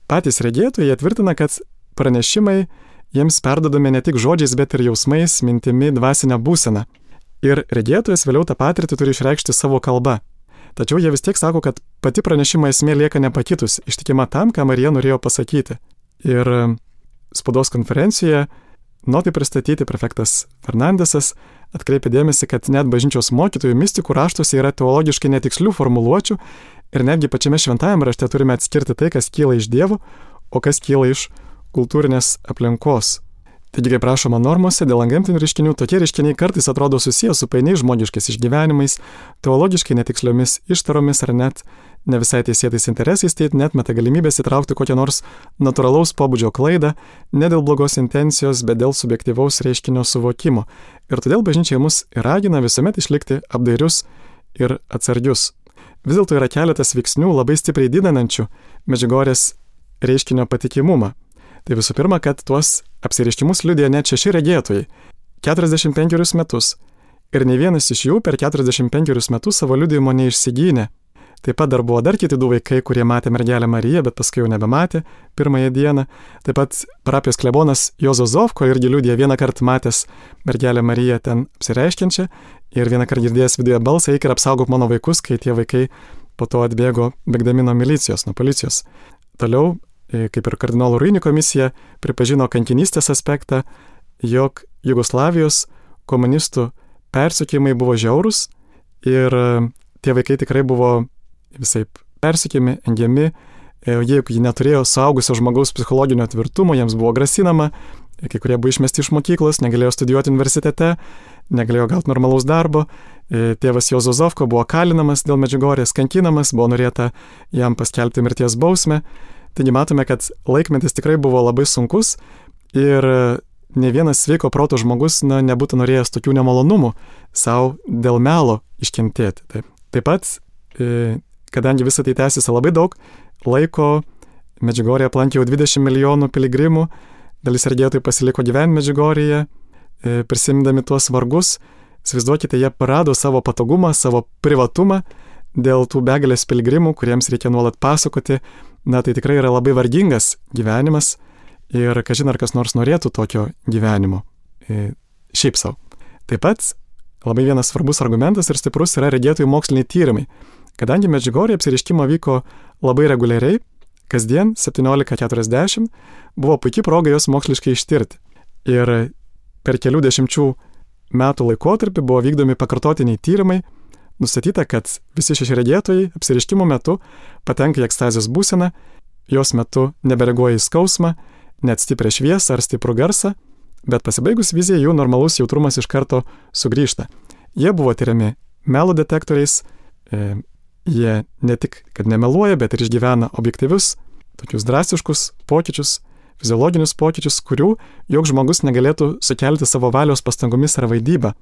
Patys regėtojai tvirtina, kad pranešimai jiems perdodami ne tik žodžiais, bet ir jausmais, mintimi, dvasinę būseną. Ir regėtojas vėliau tą patirtį turi išreikšti savo kalba. Tačiau jie vis tiek sako, kad pati pranešimo esmė lieka nepakitus, ištikima tam, ką Marija norėjo pasakyti. Ir spaudos konferencijoje notai pristatyti prefektas Fernandesas atkreipė dėmesį, kad net bažnyčios mokytojų mistikų raštuose yra teologiškai netikslių formuluočių ir netgi pačiame šventajame rašte turime atskirti tai, kas kyla iš Dievo, o kas kyla iš kultūrinės aplinkos. Taigi, kaip rašoma normose, dėl antgamtinių reiškinių, tokie reiškiniai kartais atrodo susiję su painiais žmogiškais išgyvenimais, teologiškai netiksliomis ištaromis ar net ne visai teisėtais interesais, tai net meta galimybės įtraukti kokią nors natūralaus pobūdžio klaidą, ne dėl blogos intencijos, bet dėl subjektyvaus reiškinio suvokimo. Ir todėl bažnyčia mus ragina visuomet išlikti apdairius ir atsargius. Vis dėlto yra keletas veiksnių labai stipriai didinančių Medžiugorės reiškinio patikimumą. Tai visų pirma, kad tuos apsireiškimus liudija net šeši regėtojai, keturiasdešimt penkerius metus. Ir ne vienas iš jų per keturiasdešimt penkerius metus savo liudijimo neišsigynė. Taip pat dar buvo dar kiti du vaikai, kurie matė mergelę Mariją, bet paskui jau nebematė pirmąją dieną. Taip pat parapijos klebonas Juozo Zovko irgi liudija vieną kartą matęs mergelę Mariją ten apsireiškiančią ir vieną kartą girdėjęs viduje balsą, eik ir apsaugok mano vaikus, kai tie vaikai po to atbėgo bėgdami nuo milicijos, nuo policijos. Toliau, kaip ir kardinolų Ruini komisija, pripažino kankinystės aspektą, jog Jugoslavijos komunistų persekiojimai buvo žiaurūs ir tie vaikai tikrai buvo visaip persekiojami, engiami, jeigu jie neturėjo suaugusio žmogaus psichologinio tvirtumo, jiems buvo grasinama, kai kurie buvo išmesti iš mokyklos, negalėjo studijuoti universitete, negalėjo gauti normalaus darbo, tėvas Juozo Zovko buvo kalinamas dėl Medžiugorės, kankinamas, buvo norėta jam paskelbti mirties bausmę. Taigi matome, kad laikmetis tikrai buvo labai sunkus ir ne vienas sveiko proto žmogus na, nebūtų norėjęs tokių nemalonumų savo dėl melo iškentėti. Taip, Taip pat, e, kadangi visą tai tęsiasi labai daug laiko, Medžiugorje aplankė jau dvidešimt milijonų piligrimų, dalis sergėtojų pasiliko gyventi Medžiugorėje, e, prisimindami tuos vargus. Įsivaizduokite, jie parado savo patogumą, savo privatumą dėl tų begalės piligrimų, kuriems reikia nuolat pasakoti. Na, tai tikrai yra labai vargingas gyvenimas ir kažin ar kas nors norėtų tokio gyvenimo. E, šiaip savo. Taip pat labai vienas svarbus argumentas ir stiprus yra regėtojų moksliniai tyrimai. Kadangi Medžiugorėje apsireiškimo vyko labai reguliariai, kasdien septyniolika keturiasdešimt buvo puikiai proga jos moksliškai ištirti. Ir per kelių dešimčių metų laikotarpį buvo vykdomi pakartotiniai tyrimai, nustatyta, kad visi šeši regėtojai apsireiškimo metu patenka į ekstazės būseną, jos metu nebereaguoja į skausmą, net stiprią šviesą ar stiprų garsą, bet pasibaigus vizijai jų normalus jautrumas iš karto sugrįžta. Jie buvo tyriami melo detektoriais, e, jie ne tik, kad nemeluoja, bet ir išgyvena objektyvius, tokius drastiškus pokyčius, fiziologinius pokyčius, kurių joks žmogus negalėtų sukelti savo valios pastangomis ar vaidyba.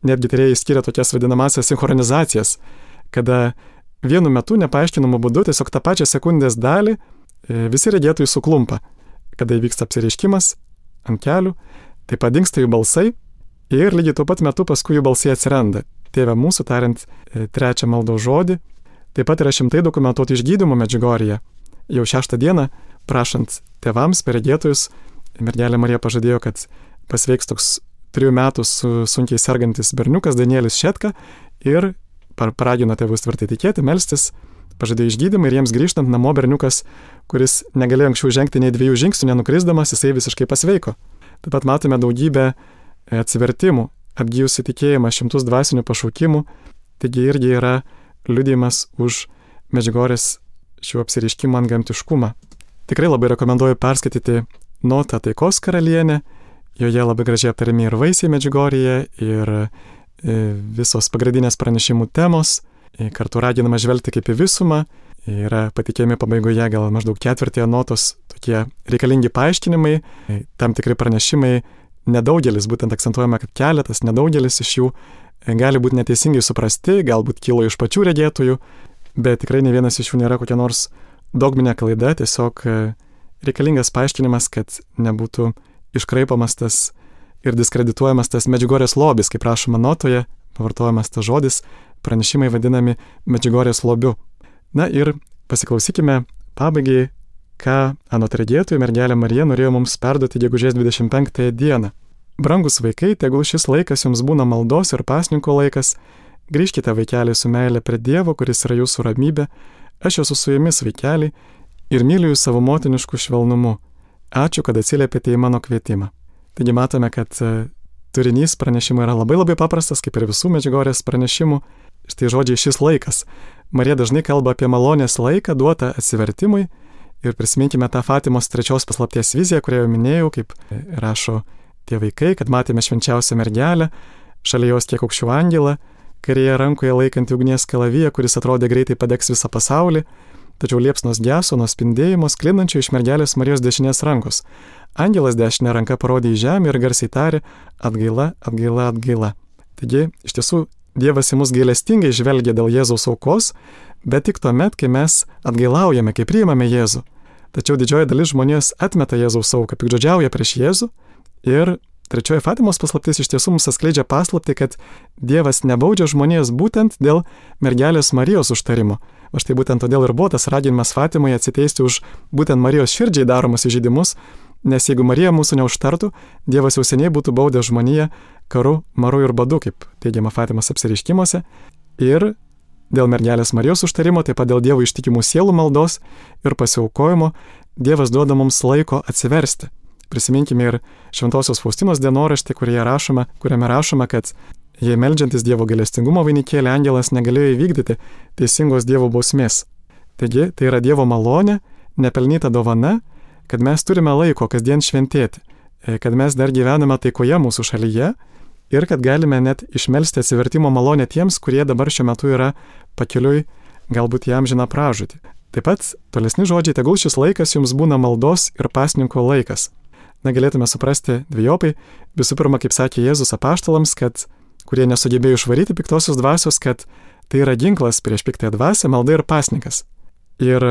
Netgi tyrėjai skiria tokias vadinamasias sinchronizacijas, kada vienu metu nepaaiškinamu būdu tiesiog tą pačią sekundės dalį e, visi regėtojai suklumpa, kada įvyksta apsireiškimas ant kelių, tai padingsta jų balsai ir lygiai tuo pat metu paskui jų balsai atsiranda. Tėve mūsų tariant e, trečią maldos žodį. Taip pat yra šimtai dokumentuotų išgydymų Medžiugorėje. Jau šeštą dieną, prašant tėvams per regėtojus, mergelė Marija pažadėjo, kad pasveiks toks trijų metų su sunkiai sergantis berniukas Danielis Šetka ir paragino tėvus tvirtai tikėti, melstis, pažadėjo išgydymą ir jiems grįžtant namo berniukas, kuris negalėjo anksčiau žengti nei dviejų žingsnių nenukrisdamas, jisai visiškai pasveiko. Taip pat matome daugybę atsivertimų, atgyjusi tikėjimą, šimtus dvasinių pašaukimų, taigi irgi yra liudijimas už Medžiugorės šių apsireiškimų antgamtiškumą. Tikrai labai rekomenduoju perskaityti Notą taikos karalienę, joje labai gražiai aptariami ir vaisiai Medžiugorėje, ir visos pagrindinės pranešimų temos, kartu raginama žvelgti kaip į visumą, yra patikėjami pabaigoje gal maždaug ketvirtėje Notos tokie reikalingi paaiškinimai, tam tikri pranešimai, nedaugelis, būtent akcentuojama, kad keletas, nedaugelis iš jų gali būti neteisingai suprasti, galbūt kilo iš pačių regėtojų, bet tikrai ne vienas iš jų nėra kokia nors dogminė klaida, tiesiog reikalingas paaiškinimas, kad nebūtų iškraipamas tas ir diskredituojamas tas Medžiugorės lobis, kaip rašoma Notoje, pavartojamas tas žodis, pranešimai vadinami Medžiugorės lobiu. Na ir pasiklausykime pabaigai, ką anot regėtojų mergelė Marija norėjo mums perduoti gegužės dvidešimt penktąją dieną. Brangus vaikai, tegul šis laikas jums būna maldos ir pasninko laikas, grįžkite vaikeliai su meile prie Dievo, kuris yra jūsų ramybė, aš esu su jumis vaikeliai ir myliu jūs savo motinišku švelnumu. Ačiū, kad atsiliepėte į mano kvietimą. Taigi matome, kad turinys pranešimų yra labai labai paprastas, kaip ir visų Medžiugorės pranešimų. Štai žodžiai šis laikas. Marija dažnai kalba apie malonės laiką duotą atsivertimui ir prisiminkime tą Fatimos trečios paslapties viziją, kurią jau minėjau, kaip rašo tie vaikai, kad matėme švenčiausią mergelę, šalia jos kiek aukščiau angelą, kairėje rankoje laikantį ugnies kalaviją, kuris atrodė greitai padegs visą pasaulį, tačiau liepsnos geso nuo spindėjimo sklindančio iš mergelės Marijos dešinės rankos. Angelas dešinę ranką parodė į žemę ir garsiai tarė: atgaila, atgaila, atgaila. Taigi, iš tiesų, Dievas į mus gailestingai žvelgia dėl Jėzaus aukos, bet tik tuomet, kai mes atgailaujame, kai priimame Jėzų. Tačiau didžioji dalis žmonijos atmeta Jėzaus auką, piktžodžiauja prieš Jėzų. Ir trečioji Fatimos paslaptis iš tiesų mums atskleidžia paslaptį, kad Dievas nebaudžia žmonijos būtent dėl mergelės Marijos užtarimo. O štai būtent todėl ir buvo tas raginimas Fatimoje atsiteisti už būtent Marijos širdžiai daromus įžeidimus, nes jeigu Marija mūsų neužtartų, Dievas jau seniai būtų baudęs žmoniją karu, maru ir badu, kaip teigiama Fatimos apsireiškimuose. Ir dėl mergelės Marijos užtarimo, taip pat dėl Dievo ištikimų sielų maldos ir pasiaukojimo, Dievas duoda mums laiko atsiversti. Prisiminkime ir Šventosios Faustinos dienoraštį, kurioje rašoma, kuriame rašoma, kad jei meldžiantis Dievo gailestingumo vainikėlį angelas negalėjo įvykdyti teisingos Dievo bausmės. Taigi, tai yra Dievo malonė, nepelnyta dovana, kad mes turime laiko kasdien šventėti, kad mes dar gyvename taikoje mūsų šalyje ir kad galime net išmelsti atsivertimo malonę tiems, kurie dabar šiuo metu yra pakeliui galbūt į amžiną pražūtį. Taip pat tolesni žodžiai, tegul šis laikas jums būna maldos ir pasninko laikas. Na, galėtume suprasti dviejopai. Visų pirma, kaip sakė Jėzus apaštalams, kad, kurie nesugebėjo išvaryti piktosios dvasios, kad tai yra ginklas prieš piktąją dvasią, malda ir pasninkas. Ir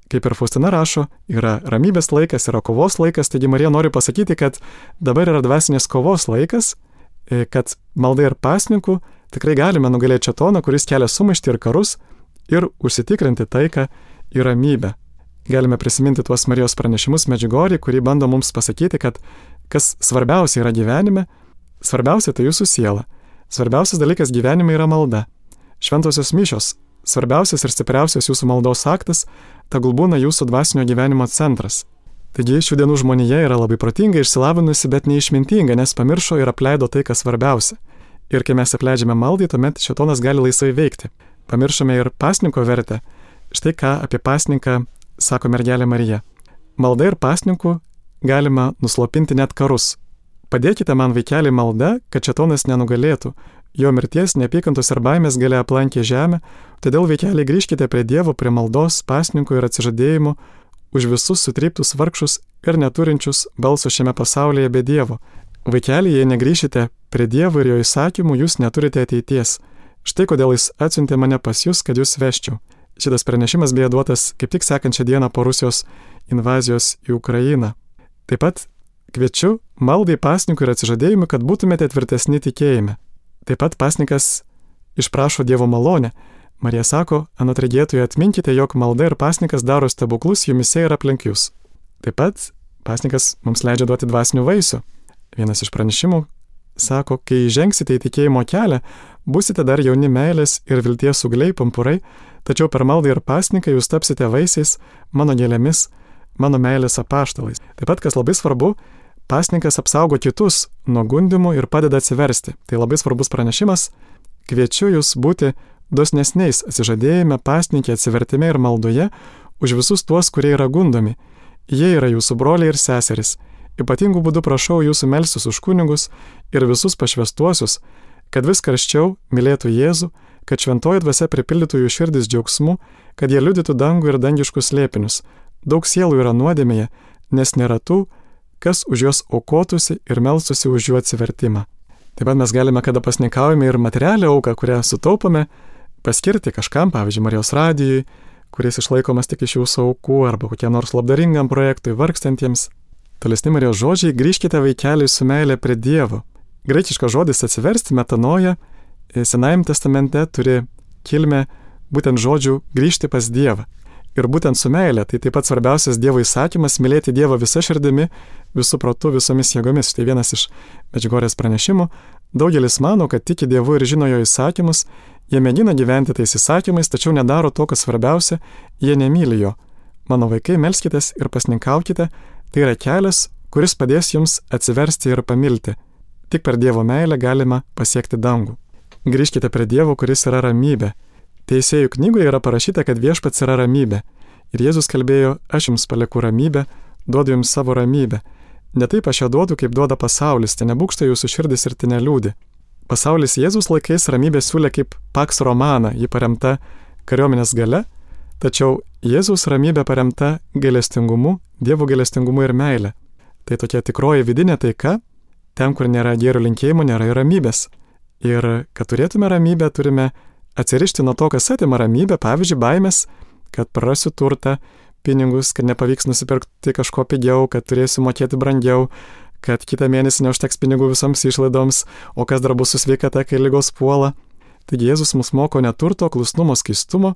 kaip ir Faustina rašo, yra ramybės laikas, yra kovos laikas, taigi Marija nori pasakyti, kad dabar yra dvasinės kovos laikas, kad malda ir pasninku tikrai galime nugalėti šėtoną, kuris kelia sumaištį ir karus, ir užsitikrinti taiką ir ramybę. Galime prisiminti tuos Marijos pranešimus Medžiugorjėj, kurį bando mums pasakyti, kad kas svarbiausia yra gyvenime, svarbiausia tai jūsų siela. Svarbiausias dalykas gyvenime yra malda. Šventosios mišios, svarbiausias ir stipriausias jūsų maldos aktas, tegul būna jūsų dvasinio gyvenimo centras. Taigi šių dienų žmonija yra labai protinga, išsilavinusi, bet neišmintinga, nes pamiršo ir apleido tai, kas svarbiausia. Ir kai mes apleidžiame maldai, tuomet šėtonas gali laisvai veikti. Pamiršome ir pasninko vertę. Štai ką apie pasninką sako mergelė Marija. Malda ir pasninku galima nuslopinti net karus. Padėkite man, vaikeliai, malda, kad šėtonas nenugalėtų. Jo mirties, neapykantos ir baimės galia aplankė žemę, todėl, vaikeliai, grįžkite prie Dievo, prie maldos, pasninko ir atsižadėjimo už visus sutryptus vargšus ir neturinčius balso šiame pasaulyje be Dievo. Vaikeliai, jei negrįšite prie Dievo ir jo įsakymų, jūs neturite ateities. Štai kodėl jis atsiuntė mane pas jūs, kad jūs veščiau. Šitas pranešimas beje duotas kaip tik sekančią dieną po Rusijos invazijos į Ukrainą. Taip pat kviečiu maldai, pasninkui ir atsižadėjimui, kad būtumėte tvirtesni tikėjime. Taip pat pasninkas išprašo Dievo malonę. Marija sako, anot regėtojų, atminkite, jog malda ir pasninkas daro stebuklus jumise ir aplink jūs. Taip pat pasninkas mums leidžia duoti dvasinių vaisių. Vienas iš pranešimų sako, kai žengsite į tikėjimo kelią, busite dar jauni meilės ir vilties ūgliai, pumpurai, tačiau per maldą ir pasninką jūs tapsite vaisiais, mano gėlėmis, mano meilės apaštalais. Taip pat, kas labai svarbu, pasninkas apsaugo kitus nuo gundimų ir padeda atsiversti. Tai labai svarbus pranešimas. Kviečiu jūs būti dosnesniais atsižadėjime, pasninkė, atsivertime ir maldoje už visus tuos, kurie yra gundomi. Jie yra jūsų broliai ir seserys. Ypatingų būdų prašau jūsų melstis už kunigus ir visus pašvęstuosius, kad vis karščiau mylėtų Jėzų, kad šventoji dvasia pripildytų jų širdis džiaugsmu, kad jie liudytų dangų ir dangiškus slėpinius. Daug sielų yra nuodėmėje, nes nėra tų, kas už juos aukotųsi ir melstųsi už jų atsivertimą. Taip pat mes galime, kada pasnikaujame ir materialią auką, kurią sutaupome, paskirti kažkam, pavyzdžiui, Marijos radijui, kuris išlaikomas tik iš jūsų aukų, arba kokiam nors labdaringam projektui vargstantiems. Tolesni Marijos žodžiai, grįžkite, vaikeliai, su meilė prie Dievo. Graikiškas žodis atsiversti, metanoja, Senajame testamente turi kilmę būtent žodžių grįžti pas Dievą. Ir būtent su meilė, tai taip pat svarbiausias Dievo įsakymas - mylėti Dievą visa širdimi, visų protu, visomis jėgomis. Štai vienas iš Medžiugorjės pranešimų. Daugelis mano, kad tiki Dievu ir žino jo įsakymus, jie mėgina gyventi tais įsakymais, tačiau nedaro to, kas svarbiausia, jie nemyli jo. Mano vaikai, melskitės ir pasninkaukite, tai yra kelias, kuris padės jums atsiversti ir pamilti. Tik per Dievo meilę galima pasiekti dangų. Grįžkite prie Dievo, kuris yra ramybė. Teisėjų knygoje yra parašyta, kad viešpats yra ramybė. Ir Jėzus kalbėjo, aš jums palieku ramybę, duodu jums savo ramybę. Ne taip aš ją duodu, kaip duoda pasaulis, tai nebūkšta jūsų širdis ir tai neliūdi. Pasaulis Jėzus laikais ramybę siūlė kaip Pax Romana, ji paremta kariuomenės gale, tačiau Jėzus ramybė paremta gailestingumu, Dievo gailestingumu ir meile. Tai tokia tikroji vidinė taika, ten, kur nėra gėrio linkėjimų, nėra ir ramybės. Ir kad turėtume ramybę, turime atsirišti nuo to, kas atima ramybę, pavyzdžiui, baimės, kad prarasiu turtą, pinigus, kad nepavyks nusipirkti kažko pigiau, kad turėsiu mokėti brangiau, kad kitą mėnesį neužteks pinigų visoms išlaidoms, o kas dar bus su sveikata, kai ligos puola. Taigi Jėzus mus moko ne turto, klusnumo, skaistumo,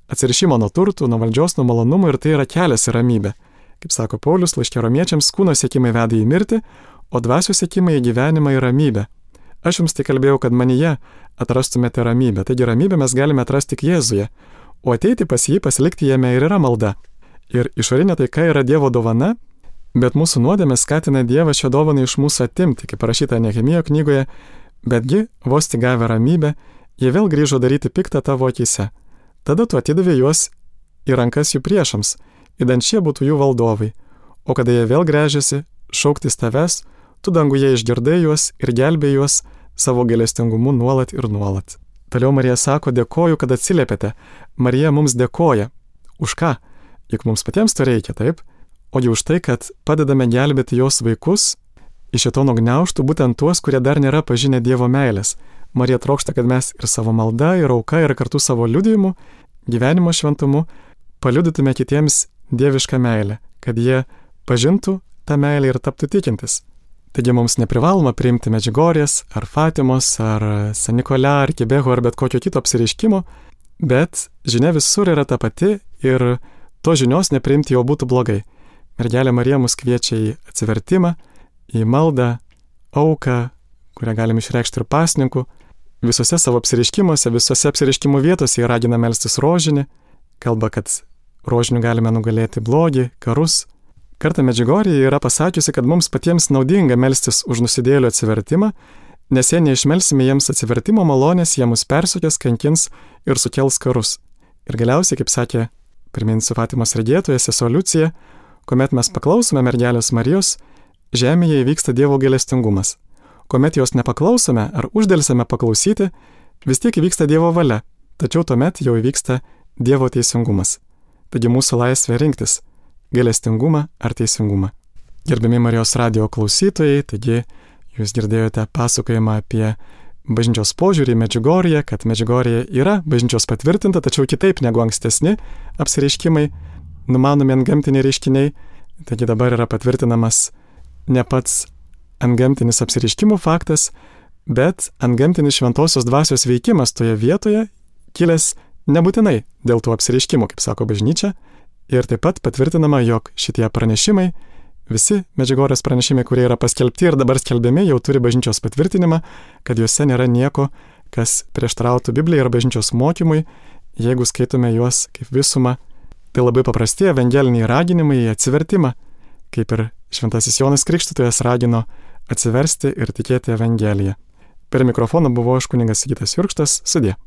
atsirišimo nuo turtų, nuo valdžios, nuo malonumų, ir tai yra kelias į ramybę. Kaip sako Paulius laiške Romiečiams, kūno siekimai veda į mirtį, o dvasios siekimai į gyvenimą ir ramybę. Aš jums tai kalbėjau, kad manyje atrastumėte ramybę. Taigi ramybę mes galime atrasti tik Jėzuje, o ateiti pas jį, pasilikti jame ir yra malda. Ir išorinė taika yra Dievo dovana, bet mūsų nuodėmė skatina Dievą šią dovaną iš mūsų atimti, kaip parašyta Nehemijo knygoje, betgi, vos tik gavę ramybę, jie vėl grįžo daryti piktą tavo akyse. Tada tu atidavė juos į rankas jų priešams, idant šie būtų jų valdovai, o kada jie vėl gręžiasi šauktis tavęs, tu danguje išgirdai juos ir gelbėjai juos savo gailestingumu nuolat ir nuolat. Toliau Marija sako, dėkoju, kad atsiliepėte. Marija mums dėkoja Už ką? Juk mums patiems to reikia, taip? Ogi už tai, kad padedame gelbėti jos vaikus iš šėtono gniaužtų, būtent tuos, kurie dar nėra pažinę Dievo meilės. Marija trokšta, kad mes ir savo malda, ir auka, ir kartu savo liudijimu, gyvenimo šventumu paliudytume kitiems dievišką meilę, kad jie pažintų tą meilę ir taptų tikintis. Taigi mums neprivaloma priimti Medžiugorjės, ar Fatimos, ar San Nikolė, ar Kibeho, ar bet kokio kito apsireiškimo, bet žinia visur yra ta pati ir to žinios nepriimti jau būtų blogai. Mergelė Marija mus kviečia į atsivertimą, į maldą, auką, kurią galim išreikšti ir pasninku. Visose savo apsireiškimuose, visose apsireiškimų vietose jie ragina melstis rožinį, kalba, kad rožiniu galime nugalėti blogį, karus. Kartą Medžiugorjė yra pasakiusi, kad mums patiems naudinga melstis už nusidėjėlių atsivertimą, nes jei neišmelsime jiems atsivertimo malonės, jie mus persekios, kankins ir sukels karus. Ir galiausiai, kaip sakė, priminsiu Fatimos regėtoja sesuo Liucija, kuomet mes paklausome mergelės Marijos, žemėje įvyksta Dievo gailestingumas. Kuomet jos nepaklausome ar uždelsime paklausyti, vis tiek įvyksta Dievo valia, tačiau tuomet jau įvyksta Dievo teisingumas. Taigi mūsų laisvė rinktis – gailestingumą ar teisingumą. Gerbiami Marijos radijo klausytojai, taigi jūs girdėjote pasakojimą apie bažnyčios požiūrį į Medžiugorję, kad Medžiugorjė yra bažnyčios patvirtinta, tačiau kitaip negu ankstesni apsireiškimai, numanomi antgamtiniai reiškiniai. Taigi dabar yra patvirtinamas ne pats antgamtinis apsireiškimų faktas, bet antgamtinis šventosios dvasios veikimas toje vietoje, kilęs nebūtinai dėl tų apsireiškimų, kaip sako bažnyčia. Ir taip pat patvirtinama, jog šitie pranešimai, visi Medžiugorjės pranešimai, kurie yra paskelbti ir dabar skelbiami, jau turi bažnyčios patvirtinimą, kad juose nėra nieko, kas prieštarautų Biblijai ir bažnyčios mokymui, jeigu skaitome juos kaip visumą. Tai labai paprasti evangeliniai raginimai į atsivertimą, kaip ir šventasis Jonas Krikštytojas ragino atsiversti ir tikėti Evangeliją. Per mikrofoną buvo aš kunigas Sigitas Jurkštas, sudie.